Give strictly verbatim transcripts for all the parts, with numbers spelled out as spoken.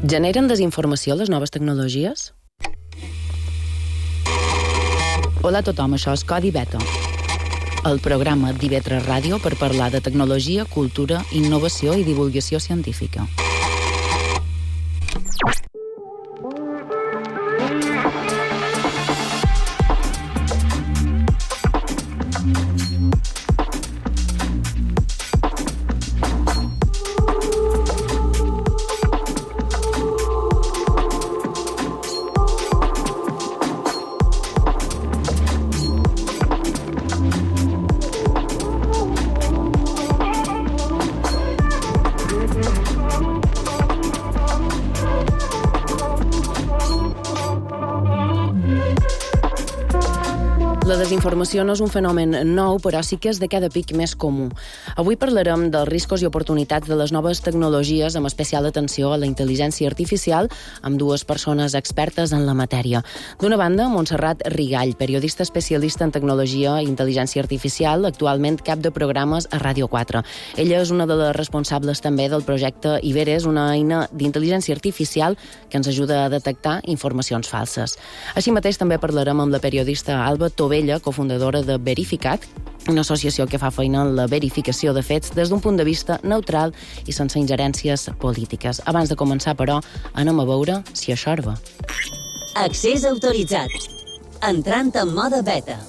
Generen desinformació les noves tecnologies? Hola a tothom, això és Codi Beta, el programa d'I V tres Ràdio per parlar de tecnologia, cultura, innovació i divulgació científica. La desinformació no és un fenomen nou, però sí que és de cada pic més comú. Avui parlarem dels riscos i oportunitats de les noves tecnologies, amb especial atenció a la intel·ligència artificial, amb dues persones expertes en la matèria. D'una banda, Montserrat Rigall, periodista especialista en tecnologia i intel·ligència artificial, actualment cap de programes a Ràdio quatre. Ella és una de les responsables també del projecte Iberes, una eina d'intel·ligència artificial que ens ajuda a detectar informacions falses. Així mateix també parlarem amb la periodista Alba Tovella, cofundadora de Verificat, una associació que fa feina en la verificació de fets des d'un punt de vista neutral i sense ingerències polítiques. Abans de començar, però, anem a veure si això va. Accés autoritzat. Entrant en mode beta.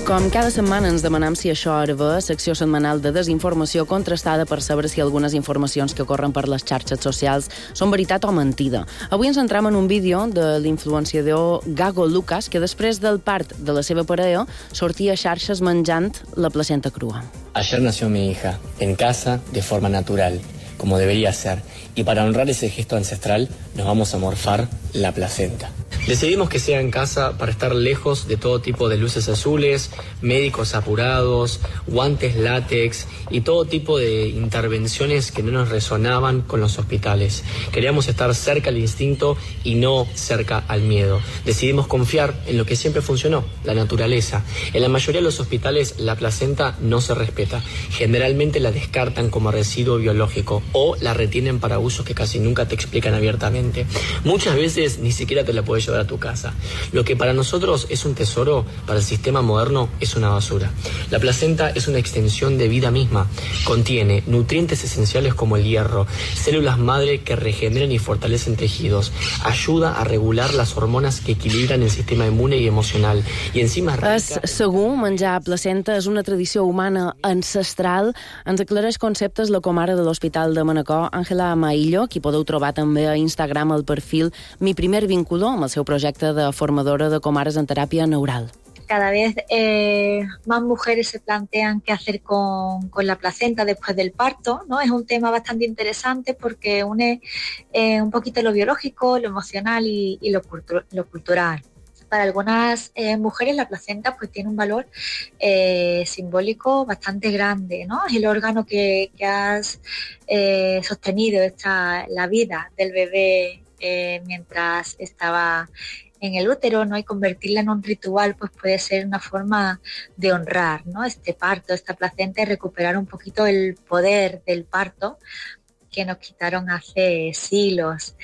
Com cada setmana ens demanem si això ara va, secció setmanal de desinformació contrastada per saber si algunes informacions que corren per les xarxes socials són veritat o mentida. Avui ens centram en un vídeo de l'influenciador Gago Lucas, que després del part de la seva parella sortia a xarxes menjant la placenta crua. Ayer nació mi hija, en casa, de forma natural, como debería ser. Y para honrar ese gesto ancestral, nos vamos a morfar la placenta. Decidimos que sea en casa para estar lejos de todo tipo de luces azules, médicos apurados, guantes látex y todo tipo de intervenciones que no nos resonaban con los hospitales. Queríamos estar cerca al instinto y no cerca al miedo. Decidimos confiar en lo que siempre funcionó, la naturaleza. En la mayoría de los hospitales la placenta no se respeta. Generalmente la descartan como residuo biológico o la retienen para usos que casi nunca te explican abiertamente. Muchas veces ni siquiera te la puedes llevar a tu casa. Lo que para nosotros es un tesoro, para el sistema moderno es una basura. La placenta es una extensión de vida misma. Contiene nutrientes esenciales como el hierro, células madre que regeneran y fortalecen tejidos, ayuda a regular las hormonas que equilibran el sistema inmune y emocional, y encima es rica... És segur, menjar placenta és una tradició humana ancestral. Ens aclareix conceptes la comare de l'Hospital de Manacor, Àngela Maillo, qui podeu trobar també a Instagram el perfil Mi Primer Vínculo, amb el seu projecte de formadora de comares en teràpia neural. Cada vez eh, más mujeres se plantean qué hacer con, con la placenta después del parto, ¿no? Es un tema bastante interesante porque une eh, un poquito lo biológico, lo emocional y, y lo, cultu- lo cultural. Para algunas eh, mujeres la placenta pues tiene un valor eh, simbólico bastante grande, ¿no? Es el órgano que, que has eh, sostenido esta, la vida del bebé eh, mientras estaba en el útero, ¿no? Y convertirla en un ritual pues puede ser una forma de honrar, ¿no? Este parto, esta placenta, y recuperar un poquito el poder del parto que nos quitaron hace siglos.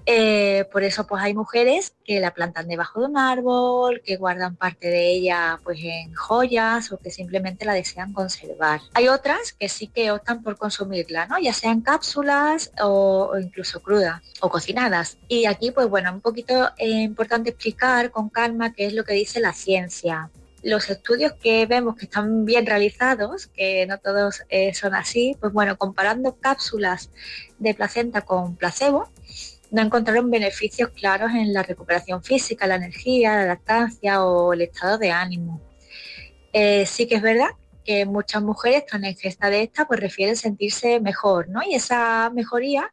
Eh, por eso pues hay mujeres que la plantan debajo de un árbol, que guardan parte de ella pues en joyas o que simplemente la desean conservar. Hay otras que sí que optan por consumirla, ¿no? Ya sean cápsulas o, o incluso crudas o cocinadas. Y aquí pues bueno, un poquito eh, importante explicar con calma qué es lo que dice la ciencia. Los estudios que vemos que están bien realizados, que no todos eh, son así, pues bueno, comparando cápsulas de placenta con placebo, no encontraron beneficios claros en la recuperación física, la energía, la lactancia o el estado de ánimo. Eh, sí que es verdad que muchas mujeres tras la ingesta de esta pues refieren sentirse mejor, ¿no? Y esa mejoría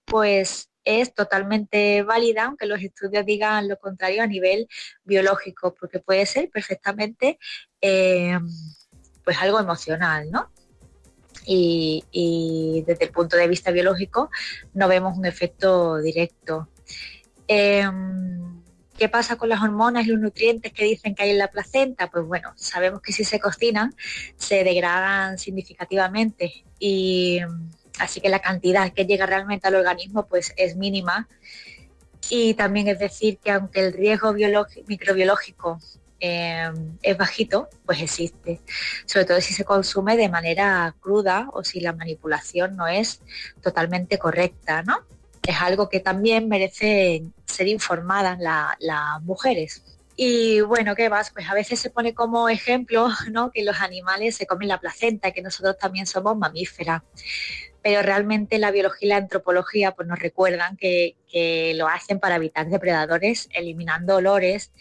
pues es totalmente válida, aunque los estudios digan lo contrario a nivel biológico, porque puede ser perfectamente eh, pues algo emocional, ¿no? Y, y desde el punto de vista biológico no vemos un efecto directo. Eh, ¿Qué pasa con las hormonas y los nutrientes que dicen que hay en la placenta? Pues bueno, sabemos que si se cocinan se degradan significativamente y así que la cantidad que llega realmente al organismo pues es mínima. Y también es decir que aunque el riesgo biológico, microbiológico eh, es bajito, pues existe, sobre todo si se consume de manera cruda o si la manipulación no es totalmente correcta, ¿no? Es algo que también merece ser informadas la, las mujeres. Y bueno, ¿qué más? Pues a veces se pone como ejemplo, ¿no?, que los animales se comen la placenta, que nosotros también somos mamíferas. Pero realmente la biología y la antropología pues nos recuerdan que, que lo hacen para evitar depredadores, eliminando olores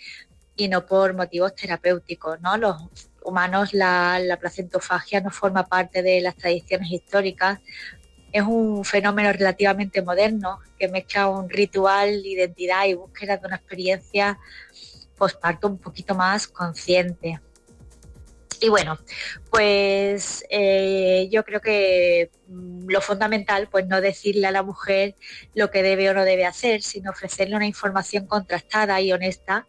y no por motivos terapéuticos, ¿no? Los humanos, la, la placentofagia no forma parte de las tradiciones históricas. Es un fenómeno relativamente moderno que mezcla un ritual, identidad y búsqueda de una experiencia posparto un poquito más consciente. Y bueno, pues eh, yo creo que lo fundamental, pues no decirle a la mujer lo que debe o no debe hacer, sino ofrecerle una información contrastada y honesta.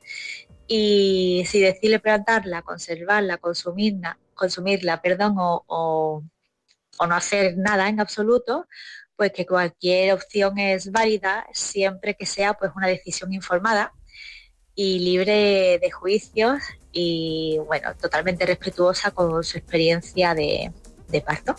Y si decirle plantarla, conservarla, consumirla, consumirla, perdón, o, o, o no hacer nada en absoluto, pues que cualquier opción es válida siempre que sea pues una decisión informada y libre de juicios y, bueno, totalmente respetuosa con su experiencia de, de parto.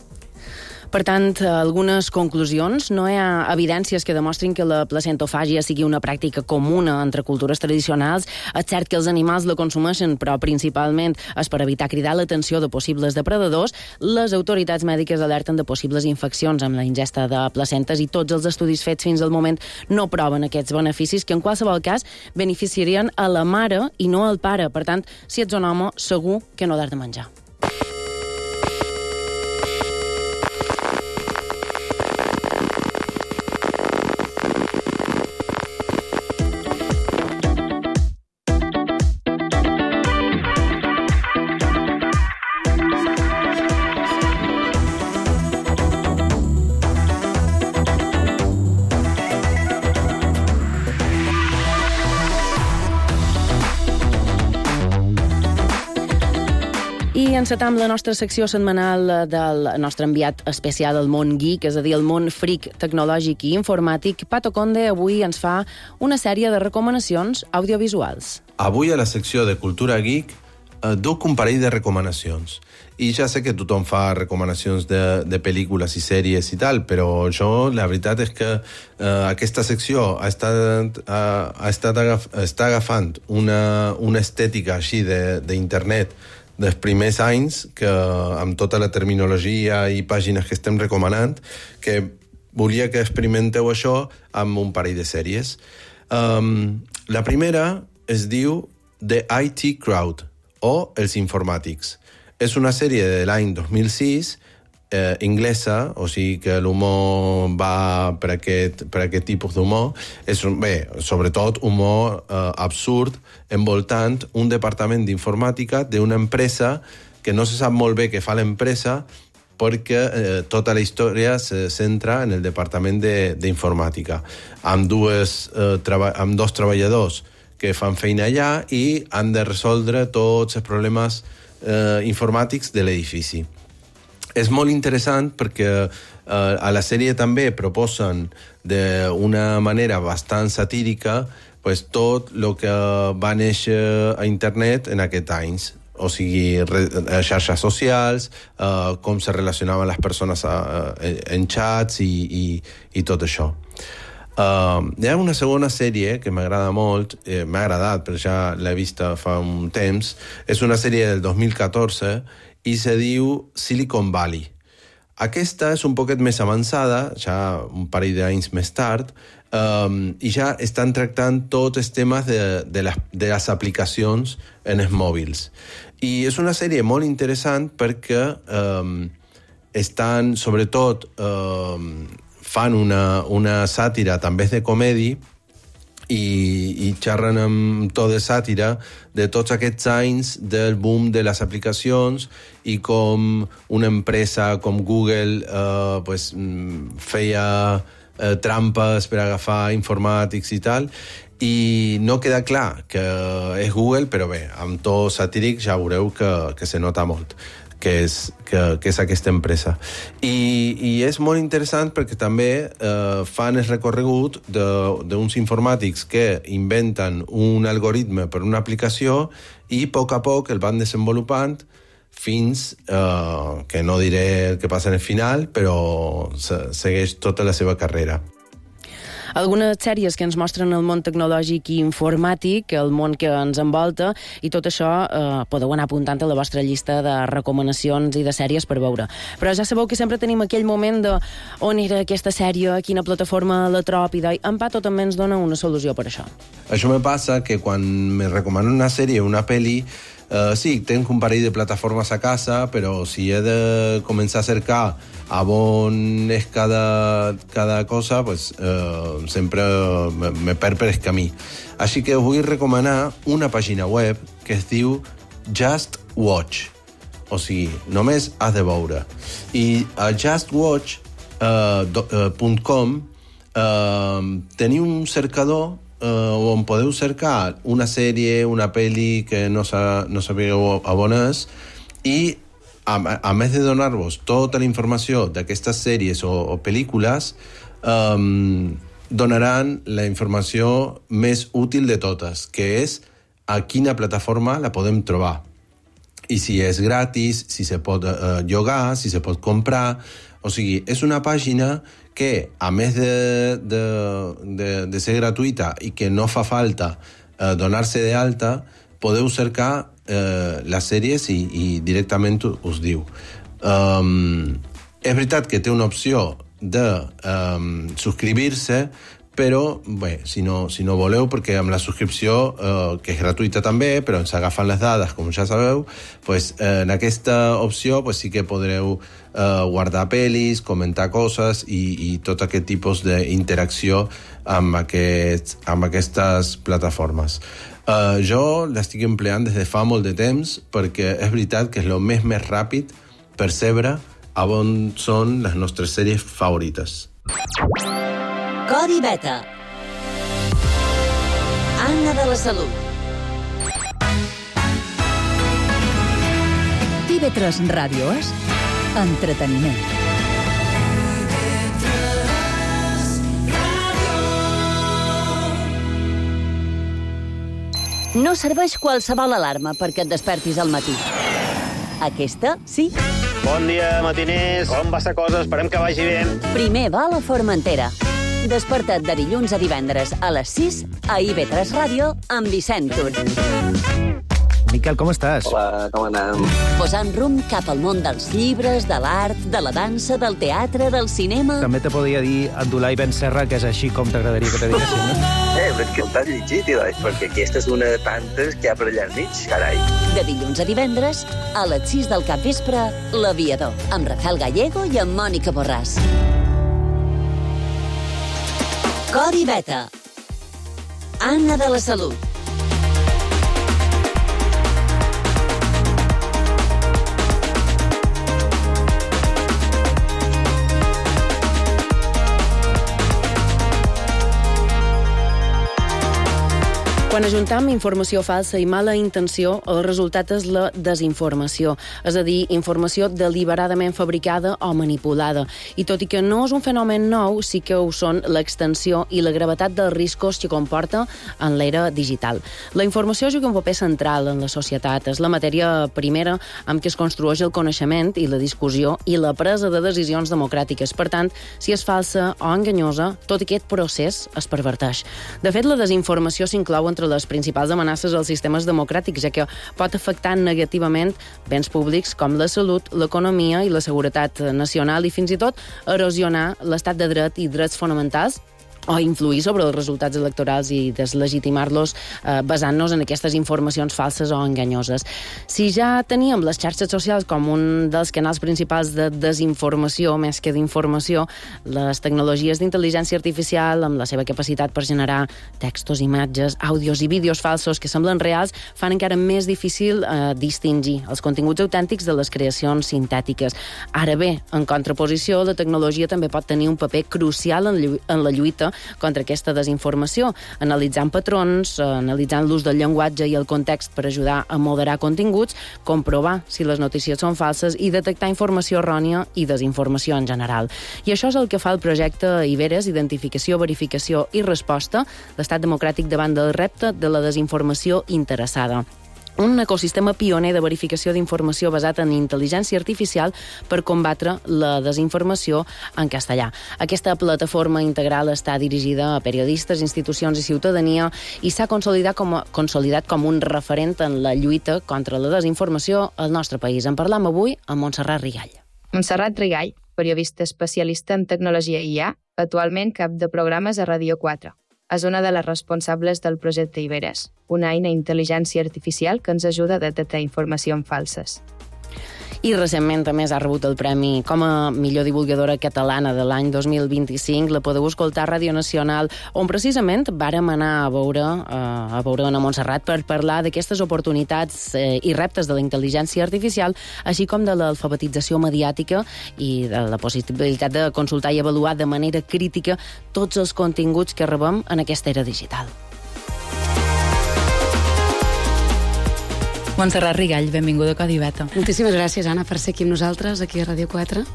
Per tant, algunes conclusions. No hi ha evidències que demostrin que la placentofàgia sigui una pràctica comuna entre cultures tradicionals. És cert que els animals la consumeixen, però principalment és per evitar cridar l'atenció de possibles depredadors. Les autoritats mèdiques alerten de possibles infeccions amb la ingesta de placentes i tots els estudis fets fins al moment no proven aquests beneficis, que en qualsevol cas beneficiarien a la mare i no al pare. Per tant, si ets un home, segur que no l'has de menjar. I encetam la nostra secció setmanal del nostre enviat especial al món geek, és a dir, el món freak tecnològic i informàtic. Pato Conde avui ens fa una sèrie de recomanacions audiovisuals. Avui a la secció de Cultura Geek eh, duc un parell de recomanacions. I ja sé que tothom fa recomanacions de, de pel·lícules i sèries i tal, però jo la veritat és que eh, aquesta secció ha estat, ha, ha estat agaf, està agafant una, una estètica així d'internet de, dels primers anys, que amb tota la terminologia i pàgines que estem recomanant, que volia que experimenteu això amb un parell de sèries. Um, la primera es diu The I T Crowd, o Els Informàtics. És una sèrie de l'any dos mil sis, eh, inglesa, o sigui que l'humor va per aquest, per aquest tipus d'humor. És, bé, sobretot humor eh, absurd, envoltant un departament d'informàtica d'una empresa que no se sap molt bé què fa l'empresa, perquè eh, tota la història se centra en el departament d'informàtica, amb, dues, eh, treba- amb dos treballadors que fan feina allà i han de resoldre tots els problemes eh, informàtics de l'edifici. És molt interessant perquè eh, a la sèrie també proposen d'una manera bastant satírica pues, tot el que va néixer a internet en aquests anys. O sigui, re, xarxes socials, eh, com se relacionaven les persones a, a, en xats i, i, i tot això. Uh, hi ha una segona sèrie que m'agrada molt, eh, m'ha agradat, però ja l'he vista fa un temps. És una sèrie del dos mil catorze i se diu Silicon Valley. Aquesta és un poquet més avançada, ja un parell d'anys més tard, um, i ja estan tractant tots els temes de, de, les, de les aplicacions en els mòbils. I és una sèrie molt interessant perquè um, estan, sobretot, um, fan una, una sàtira també de comèdia i, i xerren amb to de sàtira de tots aquests anys del boom de les aplicacions i com una empresa com Google eh, pues, feia eh, trampes per agafar informàtics i tal, i no queda clar que és Google, però bé, amb to satíric ja veureu que, que se nota molt que és, que, que és aquesta empresa. I, i és molt interessant perquè també eh, fan el recorregut d'uns informàtics que inventen un algoritme per una aplicació i a poc a poc el van desenvolupant fins eh, que no diré el que passa en el final, però se, segueix tota la seva carrera. Algunes sèries que ens mostren el món tecnològic i informàtic, el món que ens envolta, i tot això eh, podeu anar apuntant a la vostra llista de recomanacions i de sèries per veure. Però ja sabeu que sempre tenim aquell moment de on era aquesta sèrie, a quina plataforma la trob, i en Pato també ens dona una solució per això. Això me passa que quan me recomanen una sèrie o una pel·li, Uh, sí, tenc un parell de plataformes a casa, però si he de començar a cercar a on és cada, cada cosa, pues, uh, sempre me, me perd per el camí. Així que us vull recomanar una pàgina web que es diu Just Watch. O sigui, només has de veure. I a just watch punt com uh, uh, uh, teniu un cercador Uh, on podeu cercar una sèrie, una pel·li que no, sa, no sabíeu a on és, i a, a més de donar-vos tota la informació d'aquestes sèries o, o pel·lícules, um, donaran la informació més útil de totes, que és a quina plataforma la podem trobar. I si és gratis, si se pot uh, llogar, si se pot comprar. O sigui, és una pàgina que, a més de, de, de, de ser gratuïta i que no fa falta eh, donar-se d'alta, podeu cercar eh, les sèries i, i directament us diu. Um, és veritat que té una opció de um, subscribir-se, però bé, si no, si no voleu, perquè amb la subscripció, eh, que és gratuïta també, però ens agafen les dades, com ja sabeu, pues, eh, en aquesta opció pues, sí que podreu eh, guardar pel·lis, comentar coses i, i tot aquest tipus d'interacció amb, aquest, amb aquestes plataformes. Eh, jo l'estic empleant des de fa molt de temps perquè és veritat que és el més més ràpid percebre on són les nostres sèries favorites. Codi Beta. Anna de la Salut. T V tres Ràdio és entreteniment. No serveix qualsevol alarma perquè et despertis al matí. Aquesta, sí. Bon dia, matiners. Com va la cosa? Esperem que vagi bé. Primer va a la Formentera. Desperta't de dilluns a divendres a les sis a I V tres Ràdio amb Vicent Tur. Miquel, com estàs? Hola, com anem? Posant rumb cap al món dels llibres, de l'art, de la dansa, del teatre, del cinema... També te podria dir Abdulai Ben Serra, que és així com t'agradaria que te diguessin, no? Eh, però és que el t'has llegit, Ilai, perquè aquesta és una de tantes que hi ha per allà al mig, carai. De dilluns a divendres, a les sis del capvespre, L'Aviador, amb Rafael Gallego i amb Mònica Borràs. Codi Beta. Anna de la Salut. Quan ajuntam informació falsa i mala intenció, el resultat és la desinformació, és a dir, informació deliberadament fabricada o manipulada. I tot i que no és un fenomen nou, sí que ho són l'extensió i la gravetat dels riscos que comporta en l'era digital. La informació juga un paper central en la societat, és la matèria primera amb què es construeix el coneixement i la discussió i la presa de decisions democràtiques. Per tant, si és falsa o enganyosa, tot aquest procés es perverteix. De fet, la desinformació s'inclou entre les principals amenaces als sistemes democràtics, ja que pot afectar negativament béns públics com la salut, l'economia i la seguretat nacional i fins i tot erosionar l'estat de dret i drets fonamentals o influir sobre els resultats electorals i deslegitimar-los eh, basant-nos en aquestes informacions falses o enganyoses. Si ja teníem les xarxes socials com un dels canals principals de desinformació més que d'informació, les tecnologies d'intel·ligència artificial, amb la seva capacitat per generar textos, imatges, àudios i vídeos falsos que semblen reals, fan encara més difícil eh, distingir els continguts autèntics de les creacions sintètiques. Ara bé, en contraposició, la tecnologia també pot tenir un paper crucial en, llu- en la lluita contra aquesta desinformació, analitzant patrons, eh, analitzant l'ús del llenguatge i el context per ajudar a moderar continguts, comprovar si les notícies són falses i detectar informació errònia i desinformació en general. I això és el que fa el projecte Iberes, Identificació, Verificació i Resposta, l'Estat democràtic davant del repte de la desinformació interessada. Un ecosistema pioner de verificació d'informació basat en intel·ligència artificial per combatre la desinformació en castellà. Aquesta plataforma integral està dirigida a periodistes, institucions i ciutadania i s'ha consolidat com, a, consolidat com un referent en la lluita contra la desinformació al nostre país. En parlam avui amb Montserrat Rigall. Montserrat Rigall, periodista especialista en tecnologia i I A, actualment cap de programes a Ràdio quatre. És una de les responsables del projecte Iberes, una eina d'intel·ligència artificial que ens ajuda a detectar informacions falses. I recentment també s'ha rebut el premi com a millor divulgadora catalana de l'any dos mil vint-i-cinc. La podeu escoltar a Ràdio Nacional, on precisament vàrem anar a veure eh, a veure a Montserrat per parlar d'aquestes oportunitats eh, i reptes de la intel·ligència artificial, així com de l'alfabetització mediàtica i de la possibilitat de consultar i avaluar de manera crítica tots els continguts que rebem en aquesta era digital. Montserrat Rigall, benvinguda a Codi Beta. Moltíssimes gràcies, Anna, per ser aquí amb nosaltres, aquí a Ràdio quatre.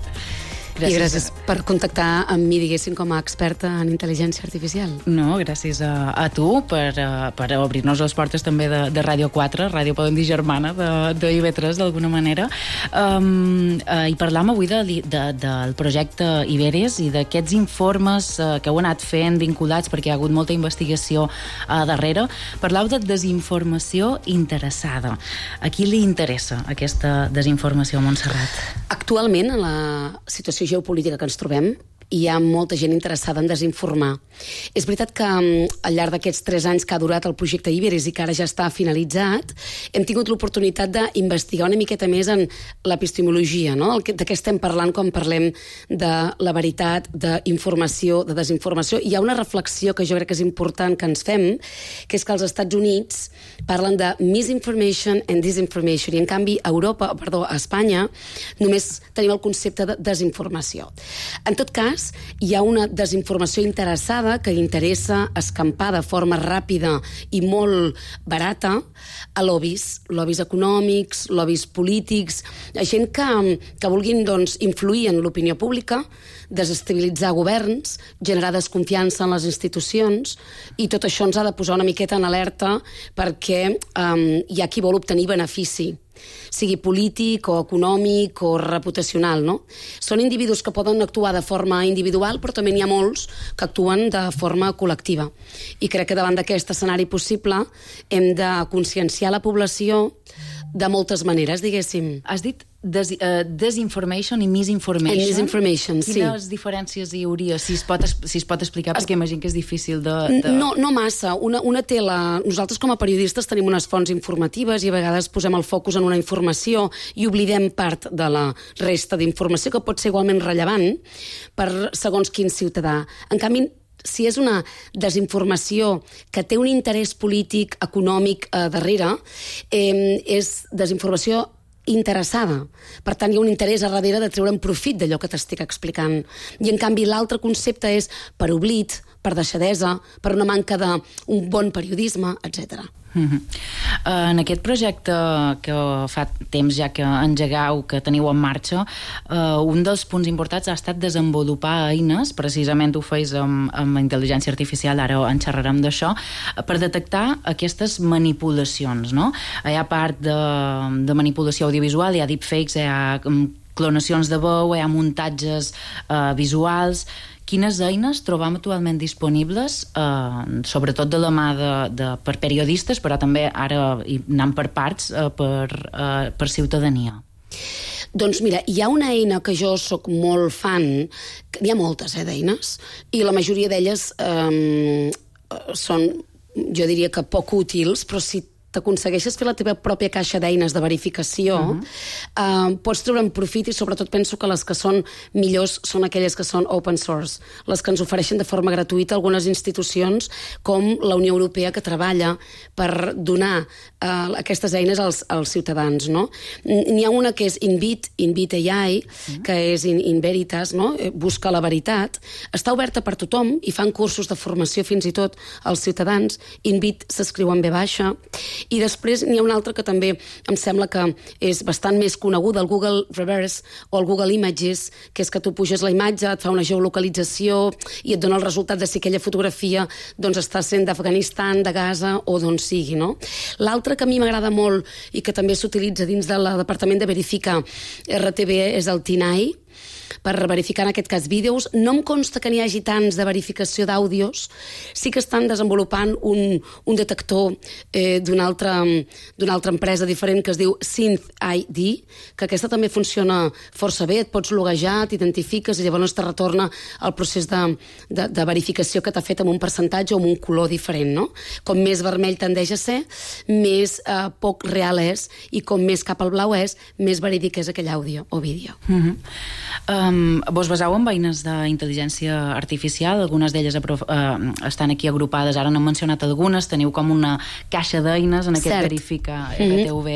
Gràcies. I gràcies per contactar amb mi, diguéssim, com a experta en intel·ligència artificial. No, gràcies a, a tu per, uh, per obrir-nos les portes també de, de Ràdio quatre, ràdio podem dir germana de, de I B tres d'alguna manera. Um, uh, I parlam avui de, de, del projecte Iberes i d'aquests informes uh, que heu anat fent vinculats perquè hi ha hagut molta investigació uh, darrere. Parlau de desinformació interessada. A qui li interessa aquesta desinformació, Montserrat? Actualment, en la situació geopolítica que ens trobem, hi ha molta gent interessada en desinformar. És veritat que al llarg d'aquests tres anys que ha durat el projecte Iberes i que ara ja està finalitzat, hem tingut l'oportunitat d'investigar una miqueta més en l'epistemologia, no? De què estem parlant quan parlem de la veritat, d'informació, de desinformació. Hi ha una reflexió que jo crec que és important que ens fem, que és que els Estats Units parlen de misinformation and disinformation, i en canvi a Europa, perdó, a Espanya, només tenim el concepte de desinformació. En tot cas, hi ha una desinformació interessada que interessa escampar de forma ràpida i molt barata a lobbies, lobbies econòmics, lobbies polítics, gent que, que vulguin doncs, influir en l'opinió pública, desestabilitzar governs, generar desconfiança en les institucions, i tot això ens ha de posar una miqueta en alerta perquè um, hi ha qui vol obtenir benefici, sigui polític o econòmic o reputacional, no? Són individus que poden actuar de forma individual, però també n'hi ha molts que actuen de forma col·lectiva. I crec que davant d'aquest escenari possible hem de conscienciar la població de moltes maneres, diguéssim. Has dit des, uh, desinformation i misinformation. And misinformation, sí. Quines diferències hi hauria, si es pot, si es pot explicar, perquè imagino que és difícil de... de... No, no massa. Una, una té la... Nosaltres com a periodistes tenim unes fonts informatives i a vegades posem el focus en una informació i oblidem part de la resta d'informació que pot ser igualment rellevant per segons quin ciutadà. En canvi, si és una desinformació que té un interès polític, econòmic eh, darrere, eh, és desinformació interessada. Per tant, hi ha un interès a darrere de treure'n profit d'allò que t'estic explicant. I, en canvi, l'altre concepte és per oblit, per deixadesa, per una manca d'un bon periodisme, etcètera. Uh-huh. Uh, en aquest projecte que fa temps ja que engegau, que teniu en marxa, uh, un dels punts importants ha estat desenvolupar eines, precisament ho feis amb, amb intel·ligència artificial, ara en xerrarem d'això, per detectar aquestes manipulacions, no? Hi ha part de, de manipulació audiovisual, hi ha deepfakes, hi ha clonacions de veu, hi ha muntatges uh, visuals. Quines eines trobam actualment disponibles, eh, sobretot de la mà de, de, per periodistes, però també ara anant per parts, eh, per, eh, per ciutadania? Doncs mira, hi ha una eina que jo sóc molt fan, n'hi ha moltes, eh, d'eines, i la majoria d'elles eh, són, jo diria que poc útils, però si t'aconsegueixes fer la teva pròpia caixa d'eines de verificació, uh-huh. eh, pots treure un profit, i sobretot penso que les que són millors són aquelles que són open source, les que ens ofereixen de forma gratuïta algunes institucions com la Unió Europea, que treballa per donar eh, aquestes eines als, als ciutadans, no? N'hi ha una que és Invit, Invit A I, uh-huh. que és in, in Veritas, no? Busca la veritat, està oberta per tothom i fan cursos de formació fins i tot als ciutadans. Invit s'escriu en ve baixa. I després n'hi ha una altra que també em sembla que és bastant més coneguda, el Google Reverse o el Google Images, que és que tu puges la imatge, et fa una geolocalització i et dona el resultat de si aquella fotografia doncs, està sent d'Afganistan, de Gaza o d'on sigui, no? L'altra que a mi m'agrada molt i que també s'utilitza dins del Departament de Verifica R T B és el TinEye, per verificar en aquest cas vídeos. No em consta que n'hi hagi tants de verificació d'àudios, sí que estan desenvolupant un, un detector eh, d'una altra, d'una altra empresa diferent que es diu SynthID, que aquesta també funciona força bé, et pots loguejar, t'identifiques i llavors te retorna el procés de, de, de verificació que t'ha fet amb un percentatge o amb un color diferent, no? Com més vermell tendeix a ser, més eh, poc real és, i com més cap al blau és, més verídic és aquell àudio o vídeo. Mm-hmm. Um, vos baseu en eines d'intel·ligència artificial, algunes d'elles uh, estan aquí agrupades, ara n'hem mencionat algunes, teniu com una caixa d'eines en aquest Cert. Verifica R T V,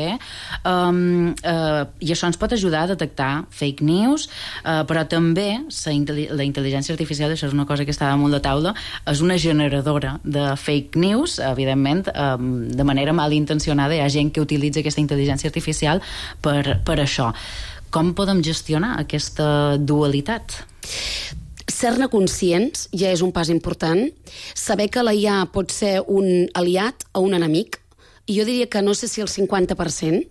um, uh, i això ens pot ajudar a detectar fake news, uh, però també la intel·ligència artificial, això és una cosa que està damunt la taula, és una generadora de fake news, evidentment, um, de manera malintencionada. Hi ha gent que utilitza aquesta intel·ligència artificial per, per això. Com podem gestionar aquesta dualitat? Ser-ne conscients ja és un pas important. Saber que la I A pot ser un aliat o un enemic, i jo diria que no sé si el cinquanta per cent.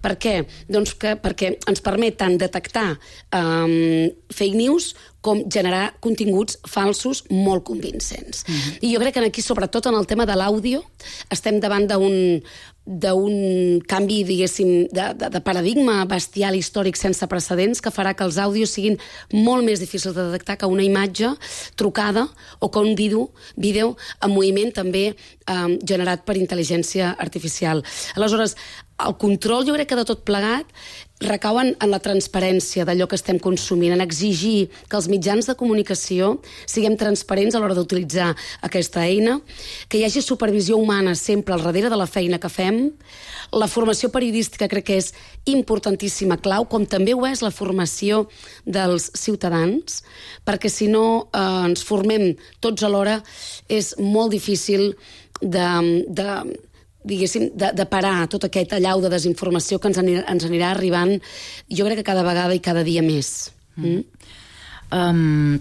Per què? Doncs que, perquè ens permet tant detectar um, fake news com generar continguts falsos molt convincents. Mm-hmm. I jo crec que aquí, sobretot en el tema de l'àudio, estem davant d'un d'un canvi, diguéssim, de, de, de paradigma bestial històric sense precedents, que farà que els àudios siguin molt més difícils de detectar que una imatge trucada o que un vídeo, vídeo en moviment també eh, generat per intel·ligència artificial. Aleshores, el control, jo crec que de tot plegat, recauen en la transparència d'allò que estem consumint, en exigir que els mitjans de comunicació siguem transparents a l'hora d'utilitzar aquesta eina, que hi hagi supervisió humana sempre al darrere de la feina que fem. La formació periodística crec que és importantíssima, clau, com també ho és la formació dels ciutadans, perquè si no eh, ens formem tots alhora és molt difícil de... de diguéssim, de, de parar tot aquest allau de desinformació que ens anirà, ens anirà arribant, jo crec que cada vegada i cada dia més. Mm. Um,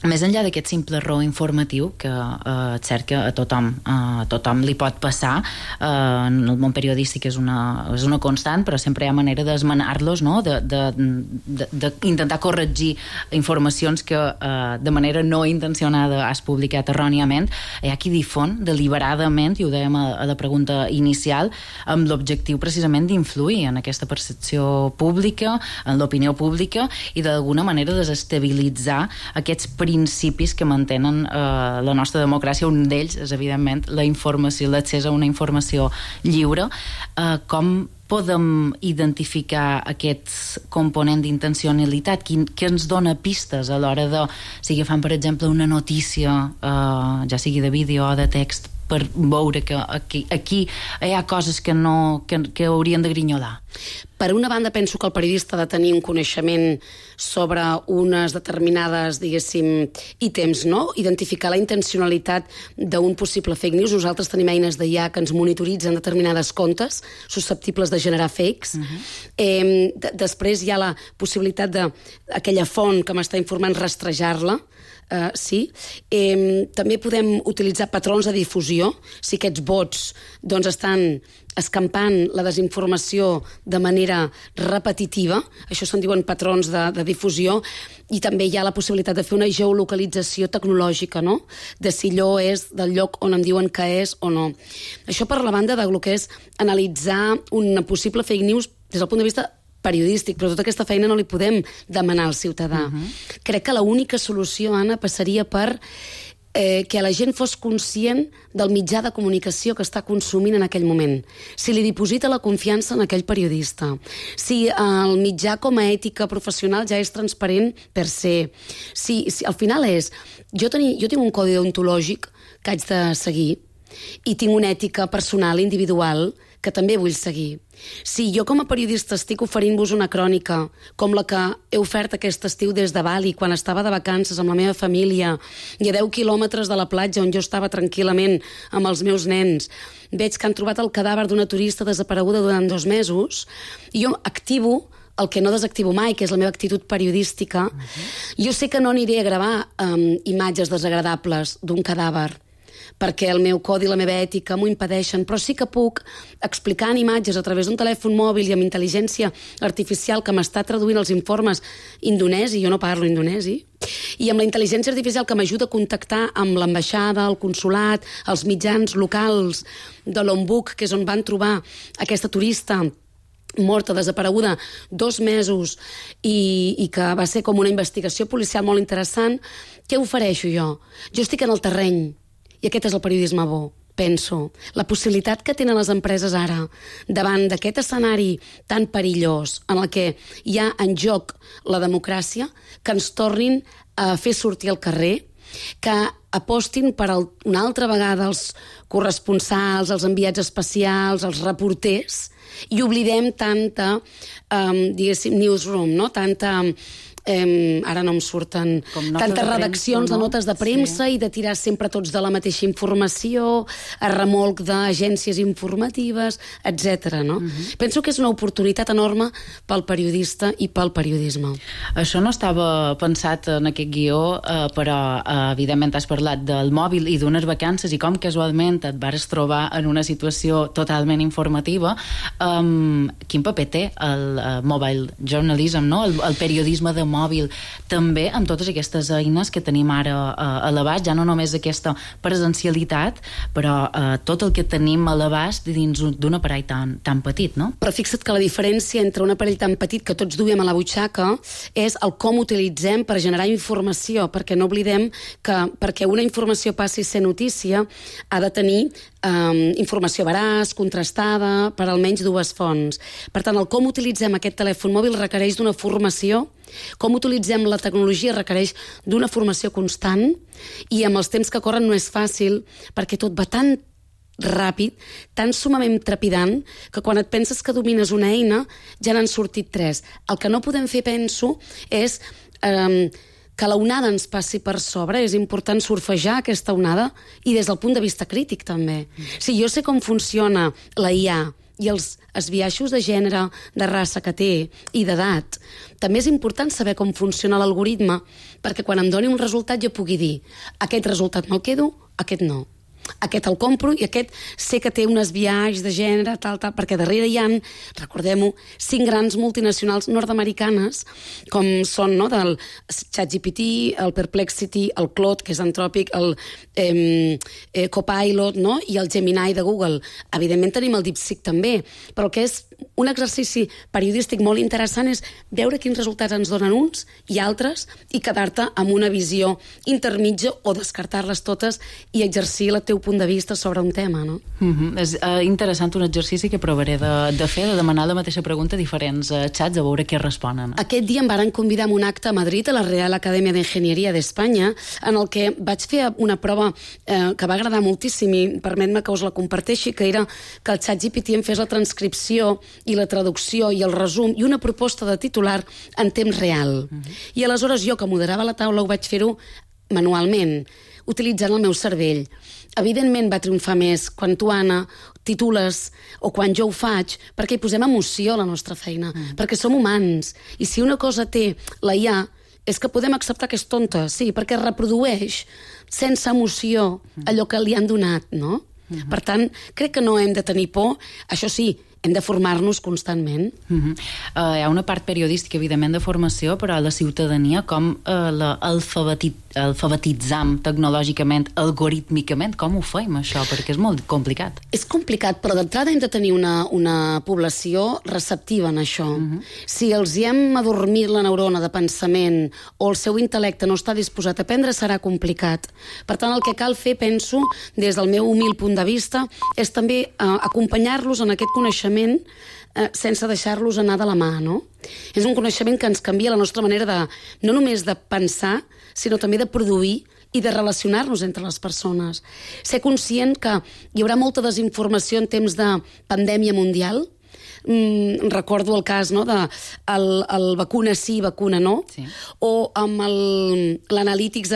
més enllà d'aquest simple raó informatiu, que uh, és cert que a tothom, uh, a tothom li pot passar, uh, en el món periodístic és una, és una constant, però sempre hi ha manera d'esmenar-los, no? D'intentar corregir informacions que uh, de manera no intencionada has publicat erròniament. Hi ha qui difon deliberadament, i ho dèiem a, a la pregunta inicial, amb l'objectiu precisament d'influir en aquesta percepció pública, en l'opinió pública, i d'alguna manera desestabilitzar aquests principis que mantenen eh, la nostra democràcia. Un d'ells és, evidentment, la informació, l'accés a una informació lliure. Eh, com podem identificar aquest component d'intencionalitat? Quin, què ens dona pistes a l'hora de, si agafant, per exemple, una notícia, eh, ja sigui de vídeo o de text, per veure que aquí, aquí hi ha coses que, no, que, que haurien de grinyolar? Per una banda, penso que el periodista ha de tenir un coneixement sobre unes determinades, diguéssim, ítems, no? Identificar la intencionalitat d'un possible fake news. Nosaltres tenim eines d'I A que ens monitoritzen determinades comptes susceptibles de generar fakes. Uh-huh. eh, d- després hi ha la possibilitat d'aquella font que m'està informant rastrejar-la. Uh, sí. Eh, també podem utilitzar patrons de difusió. Si aquests bots doncs, estan escampant la desinformació de manera repetitiva, això se'n diuen patrons de, de difusió, i també hi ha la possibilitat de fer una geolocalització tecnològica, no? De si allò és del lloc on em diuen que és o no. Això per la banda de lo que és analitzar una possible fake news des del punt de vista periodístic, però tota aquesta feina no li podem demanar al ciutadà. Uh-huh. Crec que l'única solució, Anna, passaria per eh, que la gent fos conscient del mitjà de comunicació que està consumint en aquell moment. Si li diposita la confiança en aquell periodista. Si eh, el mitjà com a ètica professional ja és transparent per ser. Si, si al final és... Jo, teni, jo tinc un codi deontològic que haig de seguir i tinc una ètica personal, individual, que també vull seguir. Si jo com a periodista estic oferint-vos una crònica com la que he ofert aquest estiu des de Bali, quan estava de vacances amb la meva família i a deu quilòmetres de la platja on jo estava tranquil·lament amb els meus nens, veig que han trobat el cadàver d'una turista desapareguda durant dos mesos, i jo activo el que no desactivo mai, que és la meva actitud periodística. Uh-huh. Jo sé que no aniré a gravar um, imatges desagradables d'un cadàver, perquè el meu codi i la meva ètica m'ho impedeixen, però sí que puc explicar en imatges a través d'un telèfon mòbil i amb intel·ligència artificial que m'està traduint els informes indonesi, jo no parlo indonesi, i amb la intel·ligència artificial que m'ajuda a contactar amb l'ambaixada, el consolat, els mitjans locals de Lombok, que és on van trobar aquesta turista morta, desapareguda, dos mesos, i, i que va ser com una investigació policial molt interessant. Què ofereixo jo? Jo estic en el terreny, i aquest és el periodisme bo, penso. La possibilitat que tenen les empreses ara davant d'aquest escenari tan perillós en el que hi ha en joc la democràcia, que ens tornin a fer sortir al carrer, que apostin per el, una altra vegada els corresponsals, els enviats especials, els reporters, i oblidem tanta, um, diguéssim, newsroom, no? Tanta... Eh, ara no em surten tantes redaccions de notes de premsa, sí, i de tirar sempre tots de la mateixa informació, a remolc d'agències informatives, etcètera. No? Uh-huh. Penso que és una oportunitat enorme pel periodista i pel periodisme. Això no estava pensat en aquest guió, eh, però eh, evidentment has parlat del mòbil i d'unes vacances i com casualment et vas trobar en una situació totalment informativa. Um, quin paper té el uh, mobile journalism, no? el, el periodisme de mòbil, també amb totes aquestes eines que tenim ara a, a l'abast, ja no només aquesta presencialitat, però eh, tot el que tenim a l'abast dins d'un aparell tan, tan petit, no? Però fixa't que la diferència entre un aparell tan petit que tots duiem a la butxaca és el com utilitzem per generar informació, perquè no oblidem que perquè una informació passi a ser notícia ha de tenir um, informació veraç, contrastada, per almenys dues fonts. Per tant, el com utilitzem aquest telèfon mòbil requereix d'una formació. Com utilitzem la tecnologia requereix d'una formació constant, i amb els temps que corren no és fàcil, perquè tot va tan ràpid, tan sumament trepidant, que quan et penses que domines una eina ja n'han sortit tres. El que no podem fer, penso, és eh, que la onada ens passi per sobre. És important surfejar aquesta onada, i des del punt de vista crític també. Si jo sé com funciona la I A i els esbiaixos de gènere, de raça que té i d'edat, també és important saber com funciona l'algoritme, perquè quan em doni un resultat jo pugui dir aquest resultat me'l quedo, aquest no. Aquest el compro i aquest sé que té un esbiaix de gènere, tal, tal, perquè darrere hi ha, recordem-ho, cinc grans multinacionals nord-americanes, com són, no, del ChatGPT, el Perplexity, el Claude, que és Anthropic, el eh, eh, Copilot, no, i el Gemini de Google. Evidentment tenim el DeepSeek també, però el que és un exercici periodístic molt interessant és veure quins resultats ens donen uns i altres, i quedar-te amb una visió intermitja o descartar-les totes i exercir el teu punt de vista sobre un tema, no? Mm-hmm. És uh, interessant, un exercici que provaré de, de fer, de demanar la mateixa pregunta a diferents uh, xats, a veure què responen. Aquest dia em varen convidar a un acte a Madrid, a la Real Acadèmia d'Enginyeria d'Espanya, en el que vaig fer una prova eh, que va agradar moltíssim, i permet-me que us la comparteixi, que era que el ChatGPT em fes la transcripció i la traducció i el resum i una proposta de titular en temps real. Mm-hmm. I aleshores jo, que moderava la taula, ho vaig fer-ho manualment, utilitzant el meu cervell. Evidentment va triomfar més quan tu, Anna, titules, o quan jo ho faig, perquè hi posem emoció a la nostra feina, mm. perquè som humans. I si una cosa té la I A, és que podem acceptar que és tonta, sí, perquè reprodueix sense emoció allò que li han donat, no? Mm-hmm. Per tant, crec que no hem de tenir por. Això sí, hem de formar-nos constantment. Uh-huh. uh, hi ha una part periodística, evidentment, de formació, però a la ciutadania, com uh, l'alfabetització alfabetitzam tecnològicament, algorítmicament? Com ho fem, això? Perquè és molt complicat. És complicat, però d'entrada hem de tenir una, una població receptiva en això. Uh-huh. Si els hi hem adormit la neurona de pensament o el seu intel·lecte no està disposat a aprendre, serà complicat. Per tant, el que cal fer, penso, des del meu humil punt de vista, és també eh, acompanyar-los en aquest coneixement eh, sense deixar-los anar de la mà, no? És un coneixement que ens canvia la nostra manera de, no només de pensar, sinó també de produir i de relacionar-nos entre les persones. Ser conscient que hi haurà molta desinformació en temps de pandèmia mundial. Mm, recordo el cas, no?, de el, el vacuna sí, vacuna no, sí. O amb l'analítics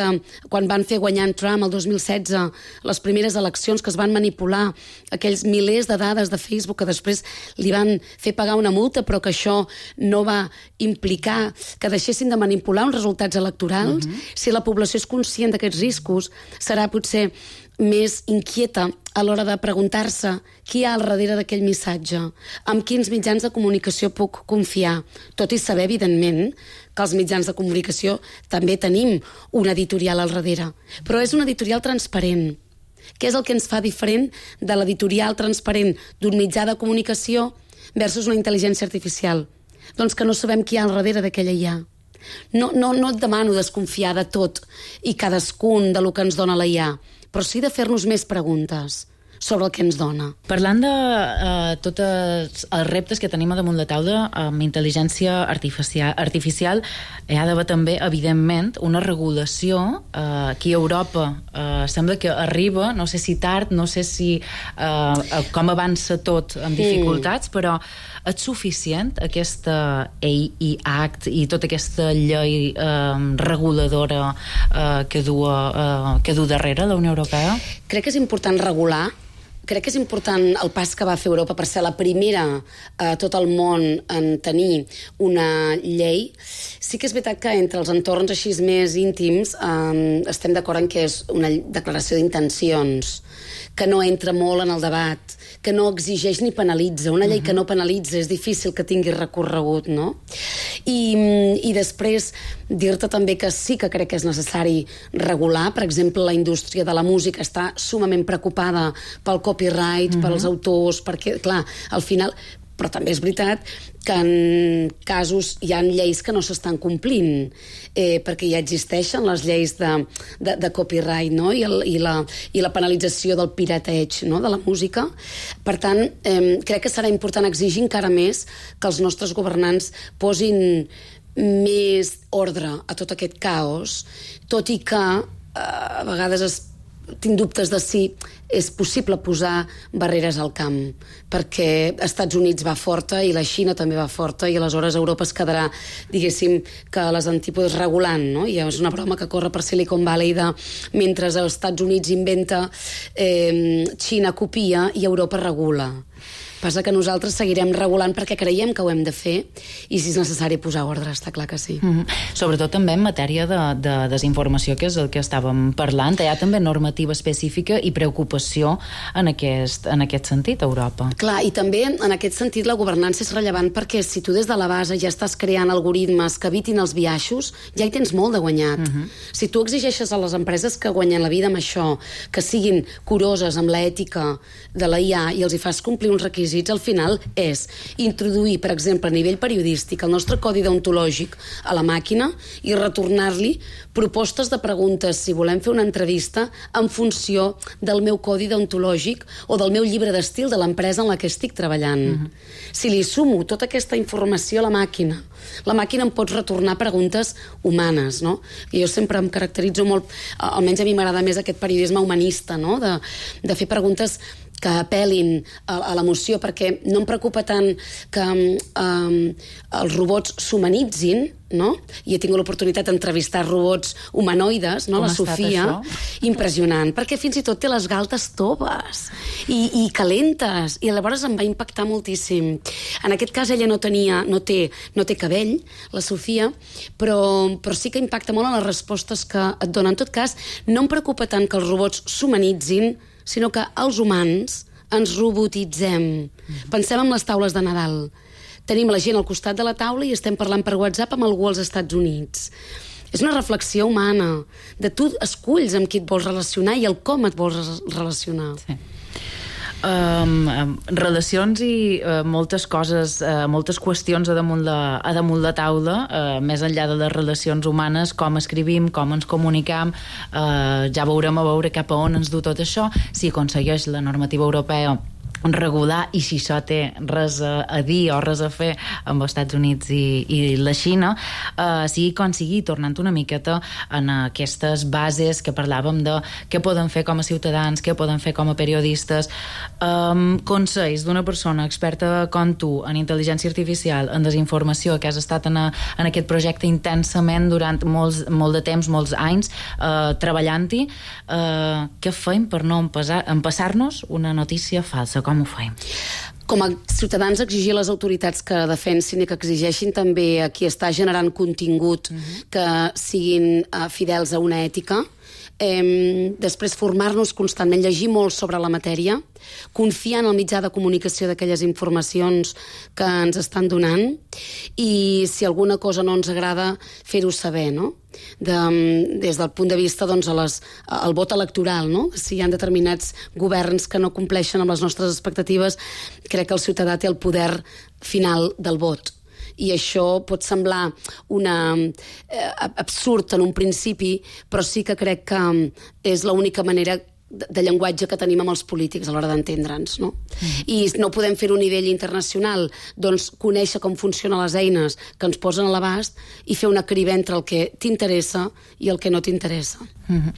quan van fer guanyar en Trump el dos mil setze les primeres eleccions, que es van manipular aquells milers de dades de Facebook que després li van fer pagar una multa, però que això no va implicar que deixessin de manipular uns resultats electorals. Uh-huh. Si la població és conscient d'aquests riscos, serà potser més inquieta a l'hora de preguntar-se qui hi ha al darrere d'aquell missatge, amb quins mitjans de comunicació puc confiar, tot i saber, evidentment, que els mitjans de comunicació també tenim un editorial al darrere. Però és un editorial transparent. Què és el que ens fa diferent de l'editorial transparent d'un mitjà de comunicació versus una intel·ligència artificial? Doncs que no sabem qui hi ha al darrere d'aquella I A. No, no, no et demano desconfiar de tot i cadascun de lo que ens dona la I A, però sí de fer-nos més preguntes sobre el que ens dona. Parlant de uh, tots els reptes que tenim a damunt la taula amb intel·ligència artificial, artificial hi ha d'haver també, evidentment, una regulació. Uh, aquí a Europa uh, sembla que arriba, no sé si tard, no sé si uh, com avança tot amb dificultats, mm. però és suficient aquesta A I Act i tota aquesta llei uh, reguladora uh, que, du, uh, que du darrere la Unió Europea? Crec que és important regular. Crec que és important el pas que va fer Europa per ser la primera a tot el món en tenir una llei. Sí que és veritat que entre els entorns així més íntims eh, estem d'acord en que és una declaració d'intencions, que no entra molt en el debat, que no exigeix ni penalitza. Una llei uh-huh. que no penalitza és difícil que tingui recorregut, no? I, i després dir-te també que sí que crec que és necessari regular. Per exemple, la indústria de la música està sumament preocupada pel copyright, uh-huh. pels autors, perquè, clar, al final... Però també és veritat que en casos hi ha lleis que no s'estan complint, eh, perquè ja existeixen les lleis de, de, de copyright, no? I, el, i, la, i la penalització del pirateig, no?, de la música. Per tant, eh, crec que serà important exigir encara més que els nostres governants posin més ordre a tot aquest caos, tot i que eh, a vegades es tinc dubtes de si és possible posar barreres al camp, perquè Estats Units va forta i la Xina també va forta i aleshores Europa es quedarà, diguéssim, que a les antípodes regulant, no? I és una broma que corre per Silicon Valley de mentre els Estats Units inventa, eh, Xina copia i Europa regula. Passa que nosaltres seguirem regulant perquè creiem que ho hem de fer i si és necessari posar ordre, està clar que sí. Mm-hmm. Sobretot també en matèria de, de desinformació, que és el que estàvem parlant. Hi ha també normativa específica i preocupació en aquest, en aquest sentit a Europa. Clar, i també en aquest sentit la governança és rellevant perquè si tu des de la base ja estàs creant algoritmes que evitin els biaixos, ja hi tens molt de guanyat. Mm-hmm. Si tu exigeixes a les empreses que guanyen la vida amb això, que siguin curoses amb l'ètica de la I A i els hi fas complir uns requisits, al final és introduir, per exemple, a nivell periodístic, el nostre codi deontològic a la màquina i retornar-li propostes de preguntes, si volem fer una entrevista, en funció del meu codi deontològic o del meu llibre d'estil de l'empresa en la que estic treballant. Uh-huh. Si li sumo tota aquesta informació a la màquina, la màquina em pot retornar preguntes humanes, no? I jo sempre em caracteritzo molt, almenys a mi m'agrada més aquest periodisme humanista, no?, de, de fer preguntes que apel·lin a, a l'emoció, perquè no em preocupa tant que um, els robots s'humanitzin, no? I he tingut l'oportunitat d'entrevistar robots humanoides, no? La Sofia, impressionant, perquè fins i tot té les galtes toves i, i calentes, i llavors em va impactar moltíssim. En aquest cas ella no tenia, no té, no té cabell, la Sofia, però, però sí que impacta molt en les respostes que et dona. En tot cas, no em preocupa tant que els robots s'humanitzin, sinó que els humans ens robotitzem. Mm-hmm. Pensem en les taules de Nadal. Tenim la gent al costat de la taula i estem parlant per WhatsApp amb algú als Estats Units. És una reflexió humana, de tu esculls amb qui et vols relacionar i el com et vols relacionar. Sí. Um, um, relacions i uh, moltes coses, uh, moltes qüestions a damunt de, a damunt de taula, uh, més enllà de les relacions humanes, com escrivim, com ens comunicam, uh, ja veurem a veure cap a on ens du tot això, si aconsegueix la normativa europea regular i si això té res a, a dir o res a fer amb els Estats Units i, i la Xina, eh, sigui com sigui, tornant una miqueta en aquestes bases que parlàvem de què poden fer com a ciutadans, què poden fer com a periodistes. Um, consells d'una persona experta com tu en intel·ligència artificial, en desinformació, que has estat en, a, en aquest projecte intensament durant molts, molt de temps, molts anys, eh, treballant-hi, eh, què fem per no empassar-nos una notícia falsa? Com ho fem? Com a ciutadans, exigir a les autoritats que defensin i que exigeixin també a qui està generant contingut uh-huh. que siguin uh, fidels a una ètica. Eh, després formar-nos constantment, llegir molt sobre la matèria, confiar en el mitjà de comunicació d'aquelles informacions que ens estan donant i si alguna cosa no ens agrada fer-ho saber, no? De, des del punt de vista doncs, a les, al vot electoral, no? Si hi ha determinats governs que no compleixen amb les nostres expectatives, crec que el ciutadà té el poder final del vot. I això pot semblar una, eh, absurd en un principi, però sí que crec que és l'única manera de, de llenguatge que tenim amb els polítics a l'hora d'entendre'ns, no? Mm. I no podem fer-ho a nivell internacional, doncs conèixer com funcionen les eines que ens posen a l'abast i fer una criba entre el que t'interessa i el que no t'interessa. Mm-hmm.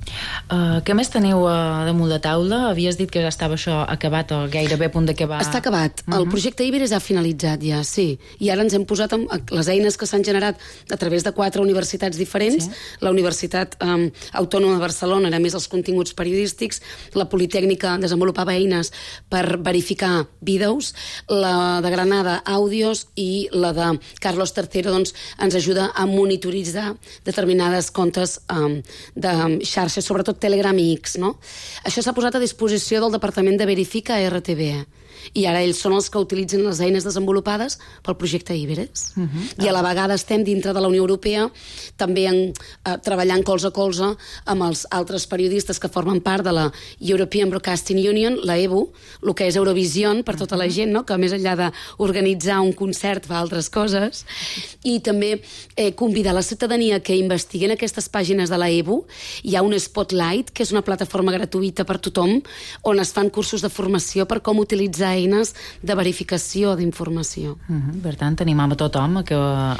Uh, què més teniu uh, damunt de taula? Havies dit que ja estava això acabat o gairebé a punt d'acabar. Està acabat. Mm-hmm. El projecte Iberes ha finalitzat ja, sí. I ara ens hem posat amb les eines que s'han generat a través de quatre universitats diferents. Sí. La Universitat um, Autònoma de Barcelona era més els continguts periodístics, la Politècnica desenvolupava eines per verificar vídeos, la de Granada àudios i la de Carlos tercero doncs, ens ajuda a monitoritzar determinades comptes um, de xarxes, sobretot Telegram i X, no? Això s'ha posat a disposició del Departament de Verifica a R T V E. I ara ells són els que utilitzen les eines desenvolupades pel projecte Iberes. Uh-huh. I a la vegada estem dintre de la Unió Europea també en, eh, treballant colze a colze amb els altres periodistes que formen part de la European Broadcasting Union, la E B U, el que és Eurovision per tota la gent, no? Que més enllà d'organitzar un concert fa altres coses. I també eh, convidar la ciutadania que investiguen aquestes pàgines de la E B U. Hi ha un Spotlight, que és una plataforma gratuïta per tothom, on es fan cursos de formació per com utilitzar eines de verificació d'informació. Uh-huh. Per tant, animam a tothom a que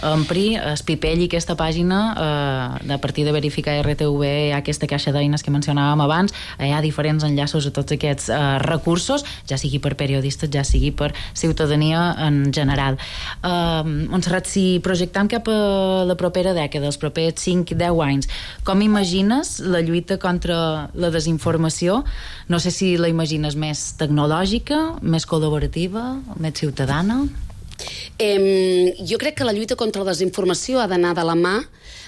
empri, es pipelli aquesta pàgina eh, a partir de verificar R T V, hi ha aquesta caixa d'eines que mencionàvem abans, hi ha diferents enllaços a tots aquests eh, recursos, ja sigui per periodistes, ja sigui per ciutadania en general. Eh, Montserrat, si projectam cap a la propera dècada, els propers cinc a deu anys, com imagines la lluita contra la desinformació? No sé si la imagines més tecnològica, més col·laborativa, més ciutadana? Eh, jo crec que la lluita contra la desinformació ha d'anar de la mà